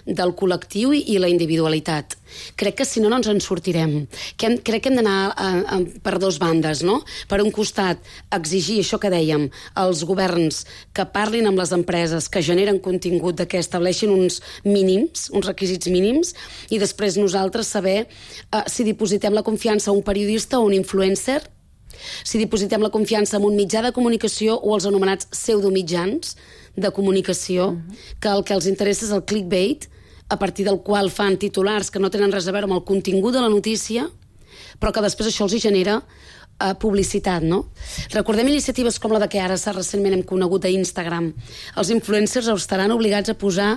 del col·lectiu i la individualitat. Crec que si no, no ens en sortirem. Que hem, crec que hem d'anar a, a, per dos bandes, no? Per un costat, exigir això que dèiem, als governs que parlin amb les empreses que generen contingut, de que estableixin uns mínims, uns requisits mínims, i després nosaltres saber uh, si dipositem la confiança a un periodista o un influencer, si dipositem la confiança en un mitjà de comunicació o els anomenats pseudomitjans de comunicació, que el que els interessa és el clickbait, a partir del qual fan titulars que no tenen res a veure amb el contingut de la notícia, però que després això els hi genera uh, publicitat, no? Recordem iniciatives com la de que ara recentment hem conegut a Instagram. Els influencers estaran obligats a posar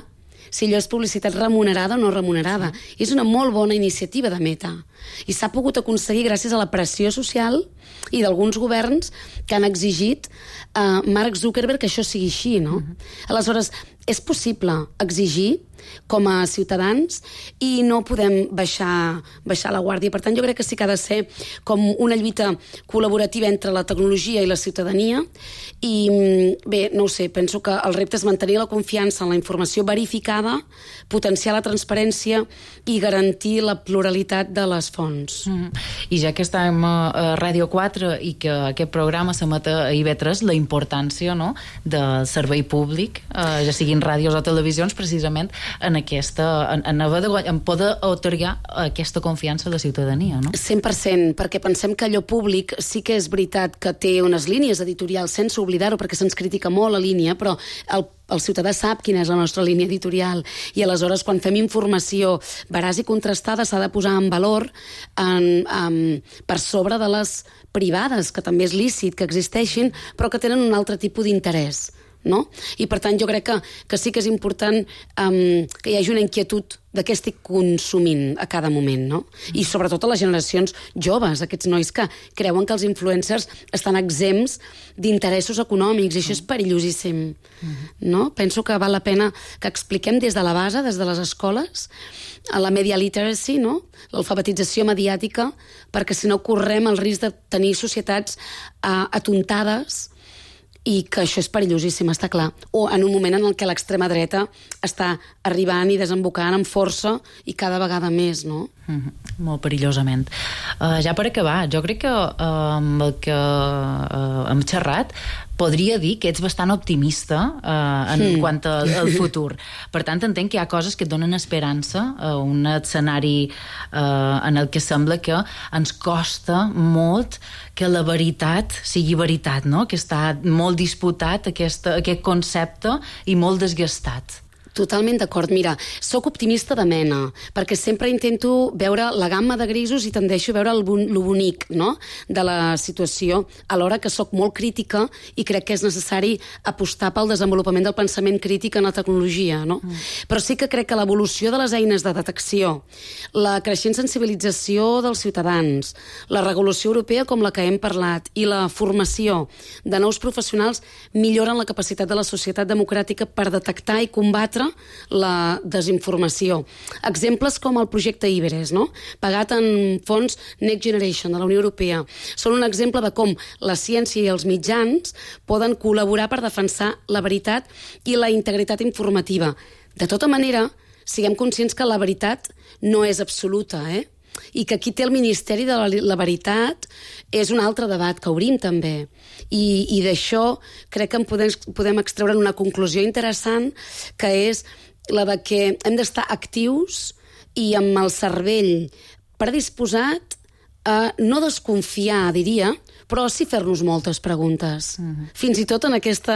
si allò és publicitat remunerada o no remunerada. Sí. És una molt bona iniciativa de Meta. I s'ha pogut aconseguir gràcies a la pressió social i d'alguns governs que han exigit a uh, Mark Zuckerberg que això sigui així, no? Uh-huh. Aleshores, és possible exigir com a ciutadans i no podem baixar, baixar la guàrdia. Per tant, jo crec que sí que ha de ser com una lluita col·laborativa entre la tecnologia i la ciutadania i, bé, no ho sé, penso que el repte és mantenir la confiança en la informació verificada, potenciar la transparència i garantir la pluralitat de les fonts. Mm-hmm. I ja que estem a Ràdio quatre i que aquest programa s'emet a I V tres, la importància, no?, del servei públic, eh, ja sigui siguin ràdios o televisions, precisament en aquesta, en, en, haver de, en poder otorgar aquesta confiança a la ciutadania, no? cent per cent, perquè pensem que allò públic sí que és veritat que té unes línies editorials, sense oblidar-ho, perquè se'ns critica molt la línia, però el el ciutadà sap quina és la nostra línia editorial i aleshores quan fem informació veraç i contrastada s'ha de posar en valor en, en, per sobre de les privades, que també és lícit que existeixin, però que tenen un altre tipus d'interès, no? I per tant jo crec que, que sí que és important um, que hi hagi una inquietud de què estic consumint a cada moment, no? I sobretot a les generacions joves, aquests nois que creuen que els influencers estan exempts d'interessos econòmics, i això és perillosíssim, no? Penso que val la pena que expliquem des de la base, des de les escoles, a la media literacy, no? L'alfabetització mediàtica, perquè si no correm el risc de tenir societats uh, atontades i que això és perillosíssim, està clar. O en un moment en el què l'extrema dreta està arribant i desembocant amb força i cada vegada més, no? Mm-hmm. Molt perillosament. Uh, ja per acabar, jo crec que uh, amb el que uh, hem xerrat podria dir que ets bastant optimista uh, en mm. quant al, al futur. Per tant, entenc que hi ha coses que et donen esperança, uh, un escenari uh, en el que sembla que ens costa molt que la veritat sigui veritat, no? Que està molt disputat aquest, aquest concepte i molt desgastat. Totalment d'acord. Mira, sóc optimista de mena, perquè sempre intento veure la gamma de grisos i tendeixo a veure el, el bonic, no?, de la situació, alhora que sóc molt crítica i crec que és necessari apostar pel desenvolupament del pensament crític en la tecnologia, no? Mm. Però sí que crec que l'evolució de les eines de detecció, la creixent sensibilització dels ciutadans, la regulació europea com la que hem parlat i la formació de nous professionals milloren la capacitat de la societat democràtica per detectar i combatre la desinformació. Exemples com el projecte Iberes, no?, pagat en fons Next Generation de la Unió Europea, són un exemple de com la ciència i els mitjans poden col·laborar per defensar la veritat i la integritat informativa. De tota manera, siguem conscients que la veritat no és absoluta, eh? I que qui té el Ministeri de la, la Veritat és un altre debat que obrim també. I, i d'això crec que en podem, podem extreure una conclusió interessant, que és la de que hem d'estar actius i amb el cervell predisposat a no desconfiar, diria, però sí fer-nos moltes preguntes. Uh-huh. Fins i tot en aquest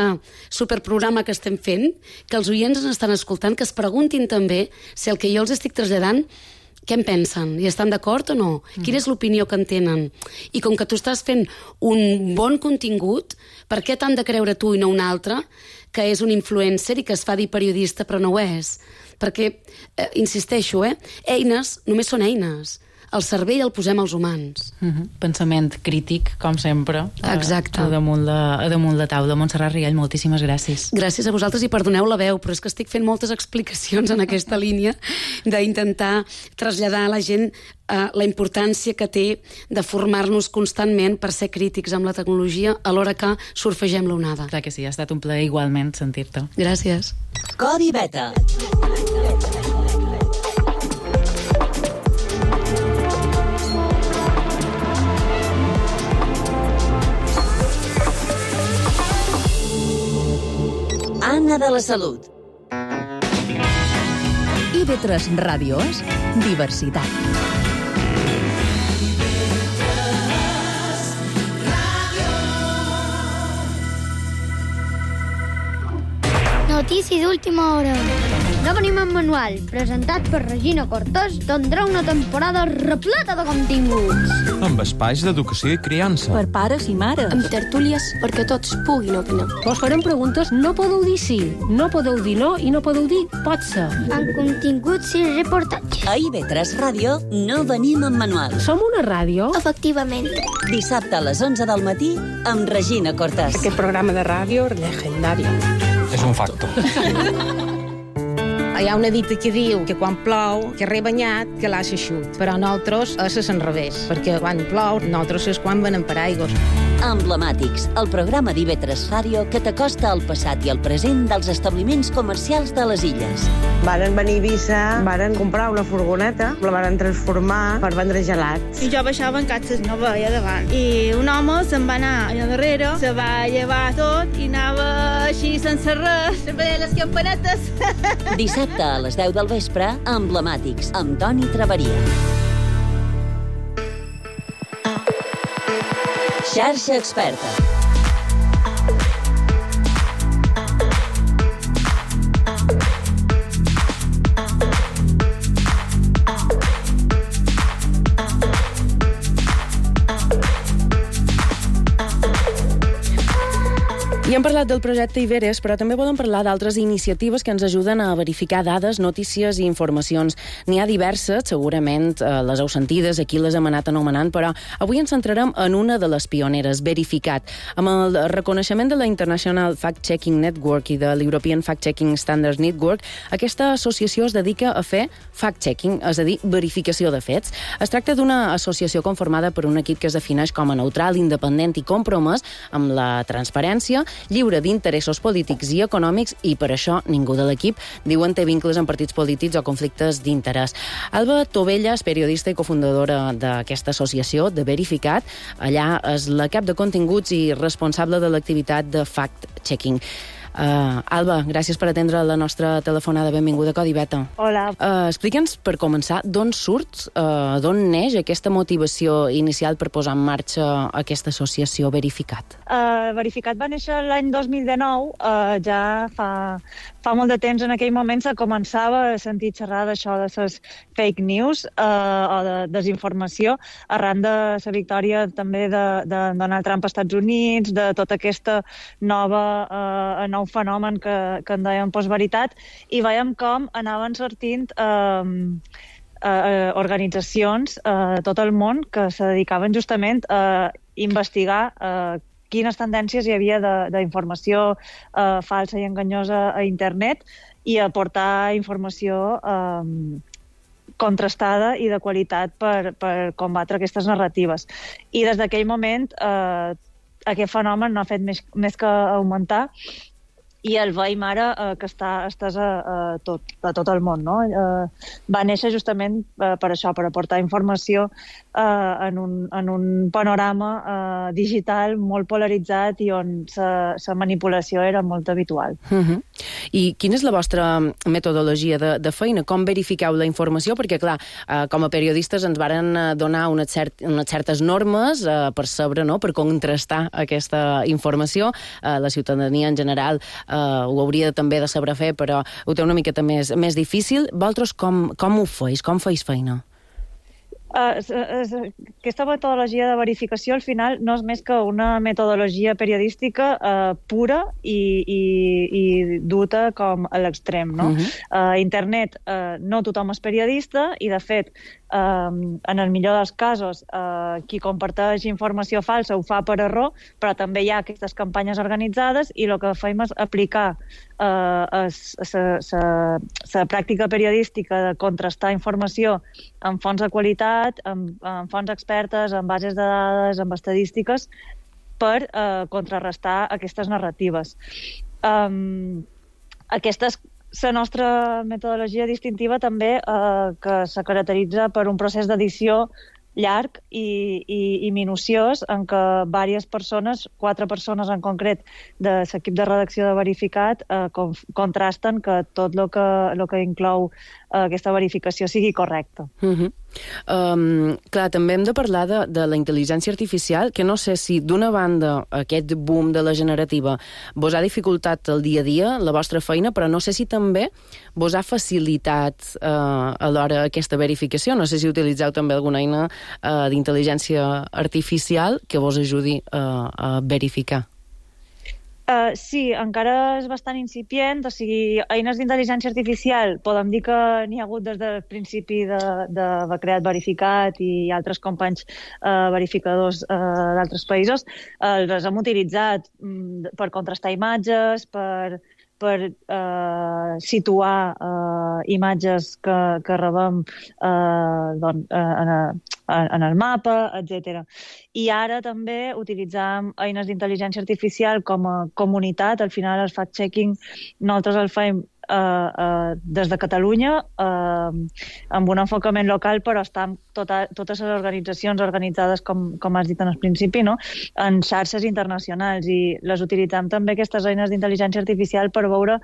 superprograma que estem fent, que els oients ens estan escoltant, que es preguntin també si el que jo els estic traslladant què en pensen? I estan d'acord o no? Mm. Quina és l'opinió que en tenen? I com que tu estàs fent un bon contingut, per què t'han de creure tu i no un altre, que és un influencer i que es fa dir periodista però no ho és? Perquè, eh, insisteixo, eh, eines només són eines. El cervell el posem als humans. Uh-huh. Pensament crític, com sempre. Exacte. A, a, damunt la, a damunt la taula. Montserrat Riall, moltíssimes gràcies. Gràcies a vosaltres i perdoneu la veu, però és que estic fent moltes explicacions en aquesta línia d'intentar traslladar a la gent uh, la importància que té de formar-nos constantment per ser crítics amb la tecnologia alhora que surfegem l'onada. Clar que sí, ha estat un plaer igualment sentir-te. Gràcies. Codi Beta. Anna de la Salut. I ve tres ràdios, diversitat. Notícies d'última hora. No venim en manual, presentat per Regina Cortés, tindrà una temporada repleta de continguts. Amb espais d'educació i criança. Per pares i mares. Amb tertúlies perquè tots puguin opinar. Vos farem preguntes, no podeu dir sí, no podeu dir no i no podeu dir pot ser. Amb continguts i reportatges. A I V tres Ràdio no venim en manual. Som una ràdio? Efectivament. Dissabte a les onze del matí amb Regina Cortés. Aquest programa de ràdio legendari. És un facto. Hi ha una dita que diu que quan plou, que rebanyat, que l'ha eixut. Però nosaltres és al revés, perquè quan plou, nosaltres és quan venem paraigües. Emblemàtics, el programa d'I V tres Ràdio que t'acosta al passat i al present dels establiments comercials de les illes. Varen venir a Eivissa, varen comprar una furgoneta, la varen transformar per vendre gelats. I jo baixava en catxes, no veia davant. I un home se'n va anar allà darrere, se va llevar tot i anava així sense res, també les campanetes. Dissabte a les deu del vespre, Emblemàtics, amb Toni Traveria. Xarxa Experta. I hem parlat del projecte Iberes, però també volem parlar d'altres iniciatives que ens ajuden a verificar dades, notícies i informacions. N'hi ha diverses, segurament eh, les heu sentides, aquí les hem anat anomenant, però avui ens centrarem en una de les pioneres, Verificat. Amb el reconeixement de la International Fact-Checking Network i de l'European Fact-Checking Standards Network, aquesta associació es dedica a fer fact-checking, és a dir, verificació de fets. Es tracta d'una associació conformada per un equip que es defineix com a neutral, independent i compromès amb la transparència, lliure d'interessos polítics i econòmics, i per això ningú de l'equip diuen té vincles amb partits polítics o conflictes d'interès. Alba Tovella és periodista i cofundadora d'aquesta associació, de Verificat. Allà és la cap de continguts i responsable de l'activitat de fact-checking. Uh, Alba, gràcies per atendre la nostra telefonada. Benvinguda a Codi Beta. Hola. Uh, Explica'ns, per començar, d'on surt, uh, d'on neix aquesta motivació inicial per posar en marxa aquesta associació Verificat? Uh, Verificat va néixer l'any dos mil dinou, uh, ja fa, fa molt de temps. En aquell moment se començava a sentir xerrar d'això de les fake news uh, o de desinformació arran de la victòria també de, de Donald Trump als Estats Units, de tota aquesta nova uh, nou fenomen que, que en dèiem postveritat, i veiem com anaven sortint eh, eh, organitzacions a eh, tot el món que se dedicaven justament a investigar eh, quines tendències hi havia d'informació eh, falsa i enganyosa a internet i a aportar informació eh, contrastada i de qualitat per, per combatre aquestes narratives. I des d'aquell moment eh, aquest fenomen no ha fet més, més que augmentar, i el veiem ara eh, que està estès a, a, tot, a tot el món. No? Eh, va néixer justament eh, per això, per aportar informació eh, en, un, en un panorama eh, digital molt polaritzat i on la manipulació era molt habitual. Uh-huh. I quina és la vostra metodologia de, de feina? Com verifiqueu la informació? Perquè, clar, eh, com a periodistes ens varen donar unes, cert, unes certes normes eh, per saber, no?, per contrastar aquesta informació. Eh, la ciutadania en general Uh, ho hauria també de saber fer, però ho té una miqueta més, més difícil. Vosaltres com, com ho feis? Com feis feina? Uh, aquesta metodologia de verificació al final no és més que una metodologia periodística uh, pura i, i, i duta com a l'extrem. No? Uh-huh. uh, internet, uh, no tothom és periodista i, de fet, uh, en el millor dels casos, uh, qui comparteix informació falsa ho fa per error, però també hi ha aquestes campanyes organitzades i el que fem és aplicar la pràctica periodística de contrastar informació amb fonts de qualitat, amb, amb fonts expertes, amb bases de dades, amb estadístiques, per eh, contrarrestar aquestes narratives. Um, aquesta és la nostra metodologia distintiva també, eh, que se caracteritza per un procés d'edició llarg i, i, i minuciós, en què diverses persones, quatre persones en concret de l'equip de redacció de Verificat, eh, contrasten que tot el que, el que inclou eh, aquesta verificació sigui correcte. Uh-huh. Um, clar, també hem de parlar de, de la intel·ligència artificial, que no sé si d'una banda aquest boom de la generativa vos ha dificultat el dia a dia, la vostra feina, però no sé si també vos ha facilitat uh, a l'hora aquesta verificació. No sé si utilitzeu també alguna eina uh, d'intel·ligència artificial que vos ajudi uh, a verificar. Uh, sí, encara és bastant incipient, o sigui, eines d'intel·ligència artificial podem dir que n'hi ha hagut des del principi d'haver de, de creat Verificat i altres companys uh, verificadors uh, d'altres països. Uh, les hem utilitzat um, per contrastar imatges, per, per uh, situar uh, imatges que, que rebem uh, doncs, uh, en, a, en el mapa, etcètera. I ara també utilitzam eines d'intel·ligència artificial com a comunitat. Al final el fact-checking nosaltres el fem eh, eh, des de Catalunya eh, amb un enfocament local, però estan tota, totes les organitzacions organitzades, com, com has dit en el principi, no? En xarxes internacionals, i les utilitzem també, aquestes eines d'intel·ligència artificial, per veure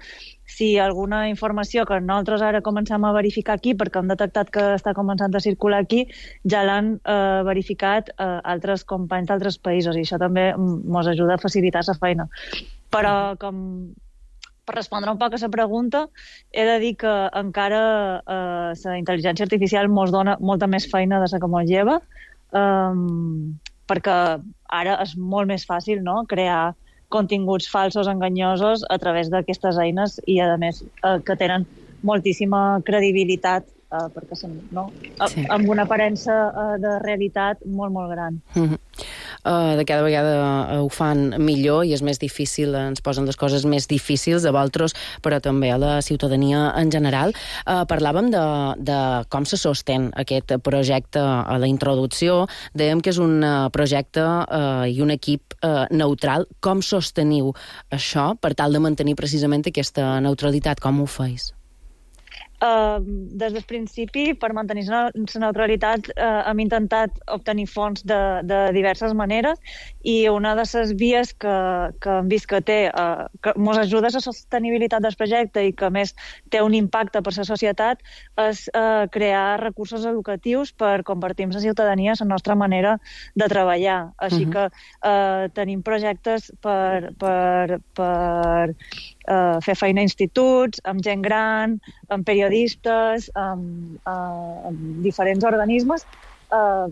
si alguna informació que nosaltres ara comencem a verificar aquí, perquè hem detectat que està començant a circular aquí, ja l'han eh, verificat eh, altres companys d'altres països, i això també ens ajuda a facilitar la feina. Però, com per respondre un poc a la pregunta, he de dir que encara eh, la intel·ligència artificial ens dona molta més feina de la que ens lleva, eh, perquè ara és molt més fàcil, no?, crear continguts falsos, enganyosos, a través d'aquestes eines, i, a més, eh, que tenen moltíssima credibilitat, eh, perquè són, no? Sí. Amb una aparença eh, de realitat molt, molt gran. Mm-hmm. Uh, de cada vegada uh, ho fan millor i és més difícil, ens posen les coses més difícils a vosaltres, però també a la ciutadania en general. Uh, parlàvem de, de com se sostén aquest projecte a la introducció. Dèiem que és un uh, projecte uh, i un equip uh, neutral. Com sosteniu això per tal de mantenir precisament aquesta neutralitat? Com ho feis? Uh, des del principi, per mantenir la neutralitat, uh, hem intentat obtenir fons de, de diverses maneres, i una de les vies que, que hem vist que té, uh, que ens ajuda a la sostenibilitat del projecte i que, a més, té un impacte per la societat, és uh, crear recursos educatius per compartir amb la ciutadania la nostra manera de treballar. Així uh-huh. que uh, tenim projectes per, per, per uh, fer feina a instituts, amb gent gran, amb periodistes, amb, uh, amb diferents organismes, uh,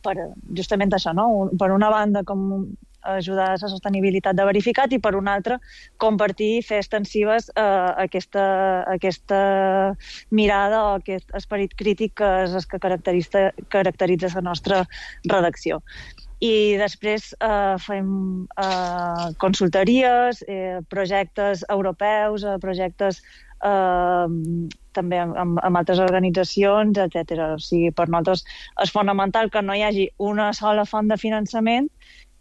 per justament això, no? Un, per una banda, com ajudar a la sostenibilitat de verificat, i per una altra, compartir i fer extensives uh, aquesta, aquesta mirada o aquest esperit crític que és el que caracteritza, caracteritza la nostra redacció. I després eh, fem eh, consultories, eh, projectes europeus, eh, projectes eh, també amb, amb altres organitzacions, etcètera. O sigui, per nosaltres és fonamental que no hi hagi una sola font de finançament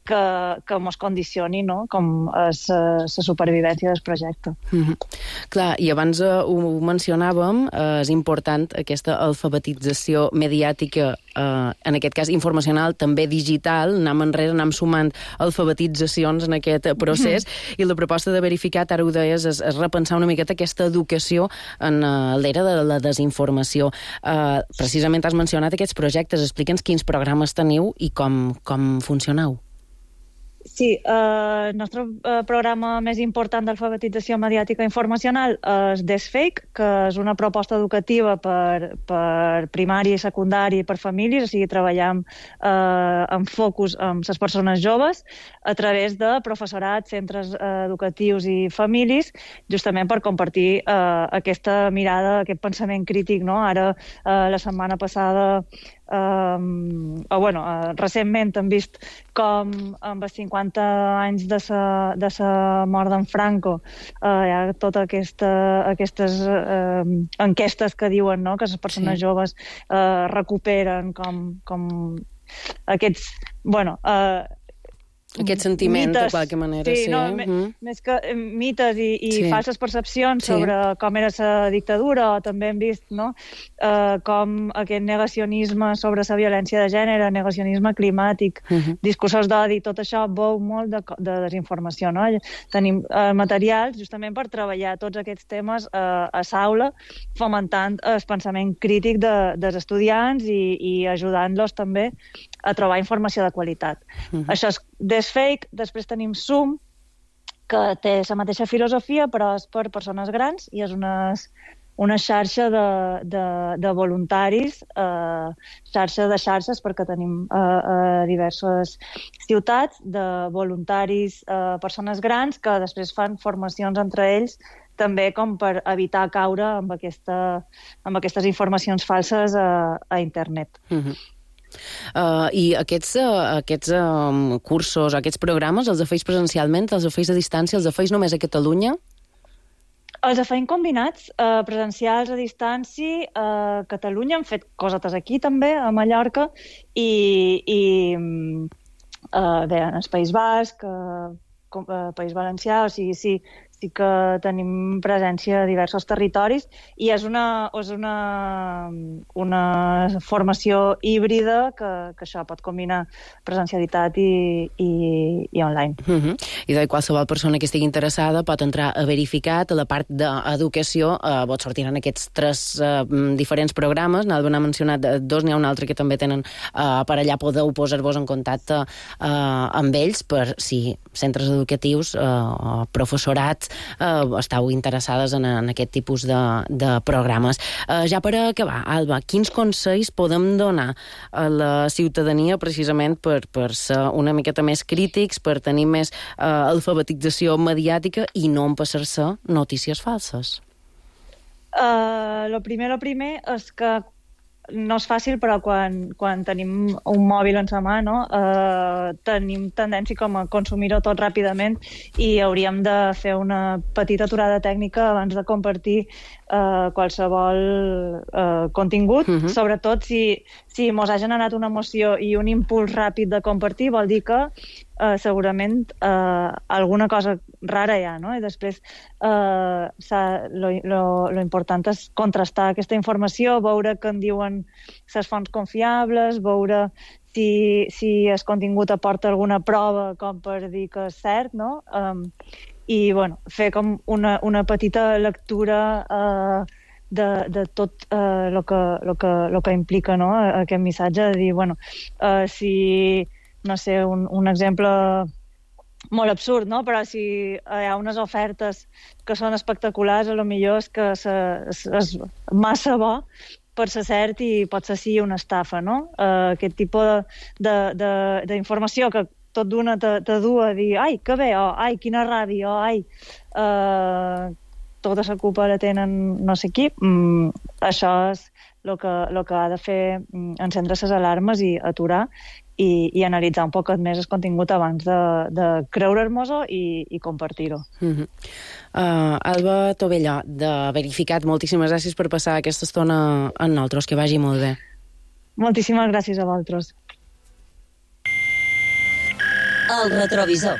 que, que ens condicioni, no?, com la supervivència del projecte. Mm-hmm. Clar, i abans eh, ho mencionàvem, eh, és important aquesta alfabetització mediàtica, eh, en aquest cas informacional, també digital. Anem enrere, anem sumant alfabetitzacions en aquest procés, mm-hmm. i la proposta de verificat, ara ho deies, és, és repensar una miqueta aquesta educació en uh, l'era de la desinformació. Eh, precisament has mencionat aquests projectes. Explica'ns quins programes teniu i com, com funcioneu. Sí, eh, el nostre eh, programa més important d'alfabetització mediàtica informacional és Desfake, que és una proposta educativa per, per primària i secundària i per famílies, o sigui, treballem eh, en focus amb les persones joves a través de professorat, centres eh, educatius i famílies, justament per compartir eh, aquesta mirada, aquest pensament crític, no? Ara, eh, la setmana passada, Um, o, bueno, uh, recentment hem vist com amb els cinquanta anys de sa, de sa mort d'en Franco uh, hi ha totes aquesta, aquestes uh, enquestes que diuen, no?, que les persones sí. joves uh, recuperen com, com aquests, bueno... Uh, Aquest sentiment, mites, de qualque manera, sí. sí no, mm-hmm. Més que mites i, i sí. falses percepcions sí. sobre com era la dictadura, o també hem vist, no?, uh, com aquest negacionisme sobre la violència de gènere, negacionisme climàtic, mm-hmm. discursos d'odi, tot això veu molt de, de desinformació, no? Tenim uh, materials justament per treballar tots aquests temes uh, a l'aula, fomentant el pensament crític de, dels estudiants i, i ajudant-los també a trobar informació de qualitat. Mm-hmm. Això és Desfake. Després tenim Zoom, que té la mateixa filosofia, però és per persones grans, i és una, una xarxa de, de, de voluntaris, eh, xarxa de xarxes, perquè tenim eh, eh, diverses ciutats de voluntaris, eh, persones grans, que després fan formacions entre ells, també com per evitar caure amb, aquesta, amb aquestes informacions falses a, a internet. Mm-hmm. Uh, I aquests, uh, aquests um, cursos, aquests programes, els feis presencialment, els feis a distància, els feis només a Catalunya? Els feim combinats, uh, presencials a distància, a uh, Catalunya, hem fet cosetes aquí també, a Mallorca, i, i uh, bé, en el País Basc, uh, uh, País Valencià, o sigui, sí, sí que tenim presència a diversos territoris i és una, és una, una formació híbrida que, que això pot combinar presencialitat i, i, i online. Uh-huh. I de qualsevol persona que estigui interessada pot entrar a Verificat, a la part d'educació, eh, vos sortiran aquests tres eh, diferents programes, n'ha mencionat dos, n'hi ha un altre que també tenen eh, per allà, podeu posar-vos en contacte eh, amb ells per si centres educatius o eh, professorats eh, estàu interessades en, en aquest tipus de, de programes. Eh, ja per acabar, Alba, quins consells podem donar a la ciutadania precisament per, per ser una miqueta més crítics, per tenir més eh, alfabetització mediàtica i no empassar-se notícies falses? Uh, lo primer, lo primer és que no és fàcil, però quan, quan tenim un mòbil en sa mà, no? uh, tenim tendència com a consumir-ho tot ràpidament i hauríem de fer una petita aturada tècnica abans de compartir uh, qualsevol uh, contingut, uh-huh. Sobretot si, si mos ha generat una emoció i un impuls ràpid de compartir, vol dir que uh, segurament uh, alguna cosa rara hi ha, no? I després uh, lo, lo, lo important és contrastar aquesta informació, veure què en diuen les fonts confiables, veure si, si el contingut aporta alguna prova com per dir que és cert, no? Um, I, bueno, fer com una, una petita lectura uh, de, de tot uh, lo que, lo que, lo que implica, no? Aquest missatge, de dir, bueno, uh, si, no sé, un, un exemple molt absurd, no? Però si hi ha unes ofertes que són espectaculars, a lo millor és que és, és, és massa bo per ser cert i pot ser sí una estafa, no? Uh, aquest tipus d'informació que tot d'una te, te du a dir ai, que bé, o ai, quina ràbia, o ai, uh, tota la culpa la tenen no sé qui, mm, això és el que, lo que ha de fer mm, encendre les alarmes i aturar i, i analitzar un poc més el contingut abans de, de creure-nos-ho i, i compartir-ho. Uh-huh. uh, Alba Tovella, de Verificat, moltíssimes gràcies per passar aquesta estona amb nosaltres, que vagi molt bé. Moltíssimes gràcies a vosaltres. El retrovisor.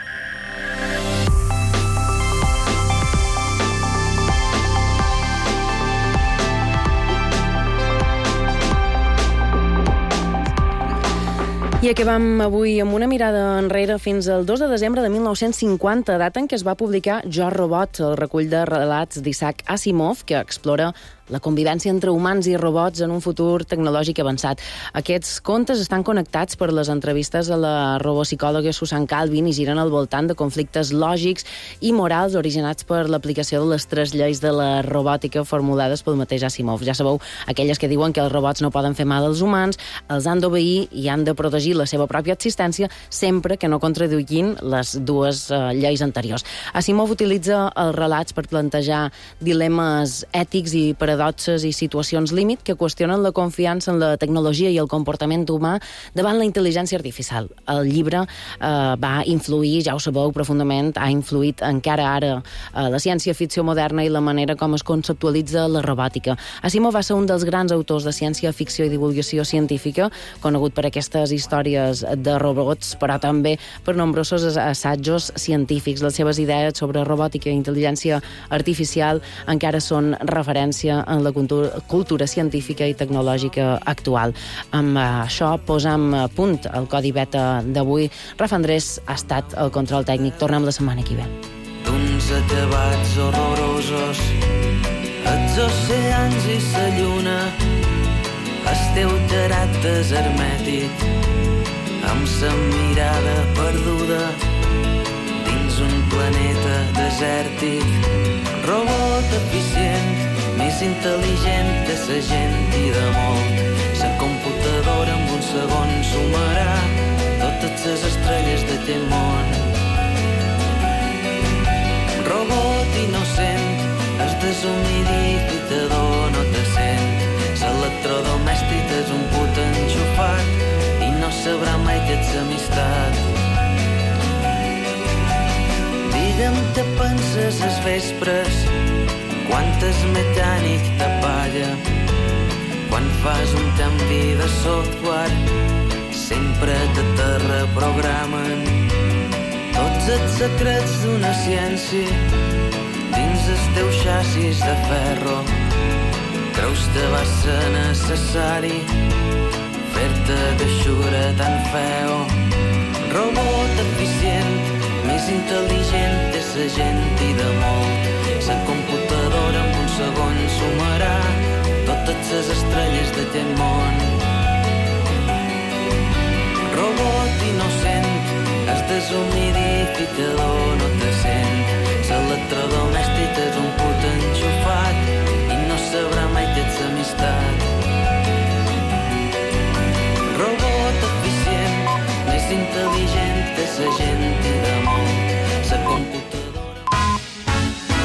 I acabam avui amb una mirada enrere fins al dos de desembre de mil nou-cents cinquanta, data en què es va publicar Jo, Robot, el recull de relats d'Isaac Asimov, que explora la convivència entre humans i robots en un futur tecnològic avançat. Aquests contes estan connectats per les entrevistes a la robopsicòloga Susan Calvin i giren al voltant de conflictes lògics i morals originats per l'aplicació de les tres lleis de la robòtica formulades pel mateix Asimov. Ja sabeu, aquelles que diuen que els robots no poden fer mal als humans, els han d'obeir i han de protegir la seva pròpia existència sempre que no contradiuin les dues uh, lleis anteriors. Asimov utilitza els relats per plantejar dilemes ètics i paradoxes i situacions límit que qüestionen la confiança en la tecnologia i el comportament humà davant la intel·ligència artificial. El llibre eh, va influir, ja ho sabeu, profundament, ha influït encara ara eh, la ciència-ficció moderna i la manera com es conceptualitza la robòtica. Asimov va ser un dels grans autors de ciència-ficció i divulgació científica, conegut per aquestes històries de robots, però també per nombrosos assajos científics. Les seves idees sobre robòtica i intel·ligència artificial encara són referència en la cultura, cultura científica i tecnològica actual. Amb això posam a punt el codi beta d'avui. Rafa Andrés ha estat el control tècnic. Tornem la setmana que ve. D'uns acabats horrorosos, els oceans i sa lluna, el teu gerat deshermètic, amb sa mirada perduda dins un planeta desèrtic. Robot eficient, més intel·ligent que sa gent i de molt. Sa computadora en un segon sumarà totes les estrelles d'aquest món. Robot innocent, el deshumidificador no te sent. L'electrodomèstic és un put enxufat i no sabrà mai que ets amistat. Digue'm què penses els vespres, quantes mecànic de palla, quan fas un canvi de software, sempre que te reprogramen tots els secrets d'una ciència dins el teu xassis de ferro. Creus que va ser necessari fer-te d'aixure tan feo. Robot eficient, més intel·ligent és la gent i de molt. La computadora en un segon sumarà totes les estrelles d'aquest món. Robot innocent, el deshumidificador no te sent. L'electrodomèstic és un put enxufat i no sabrà mai que ets amistat. Robot eficient, més intel·ligent que la gent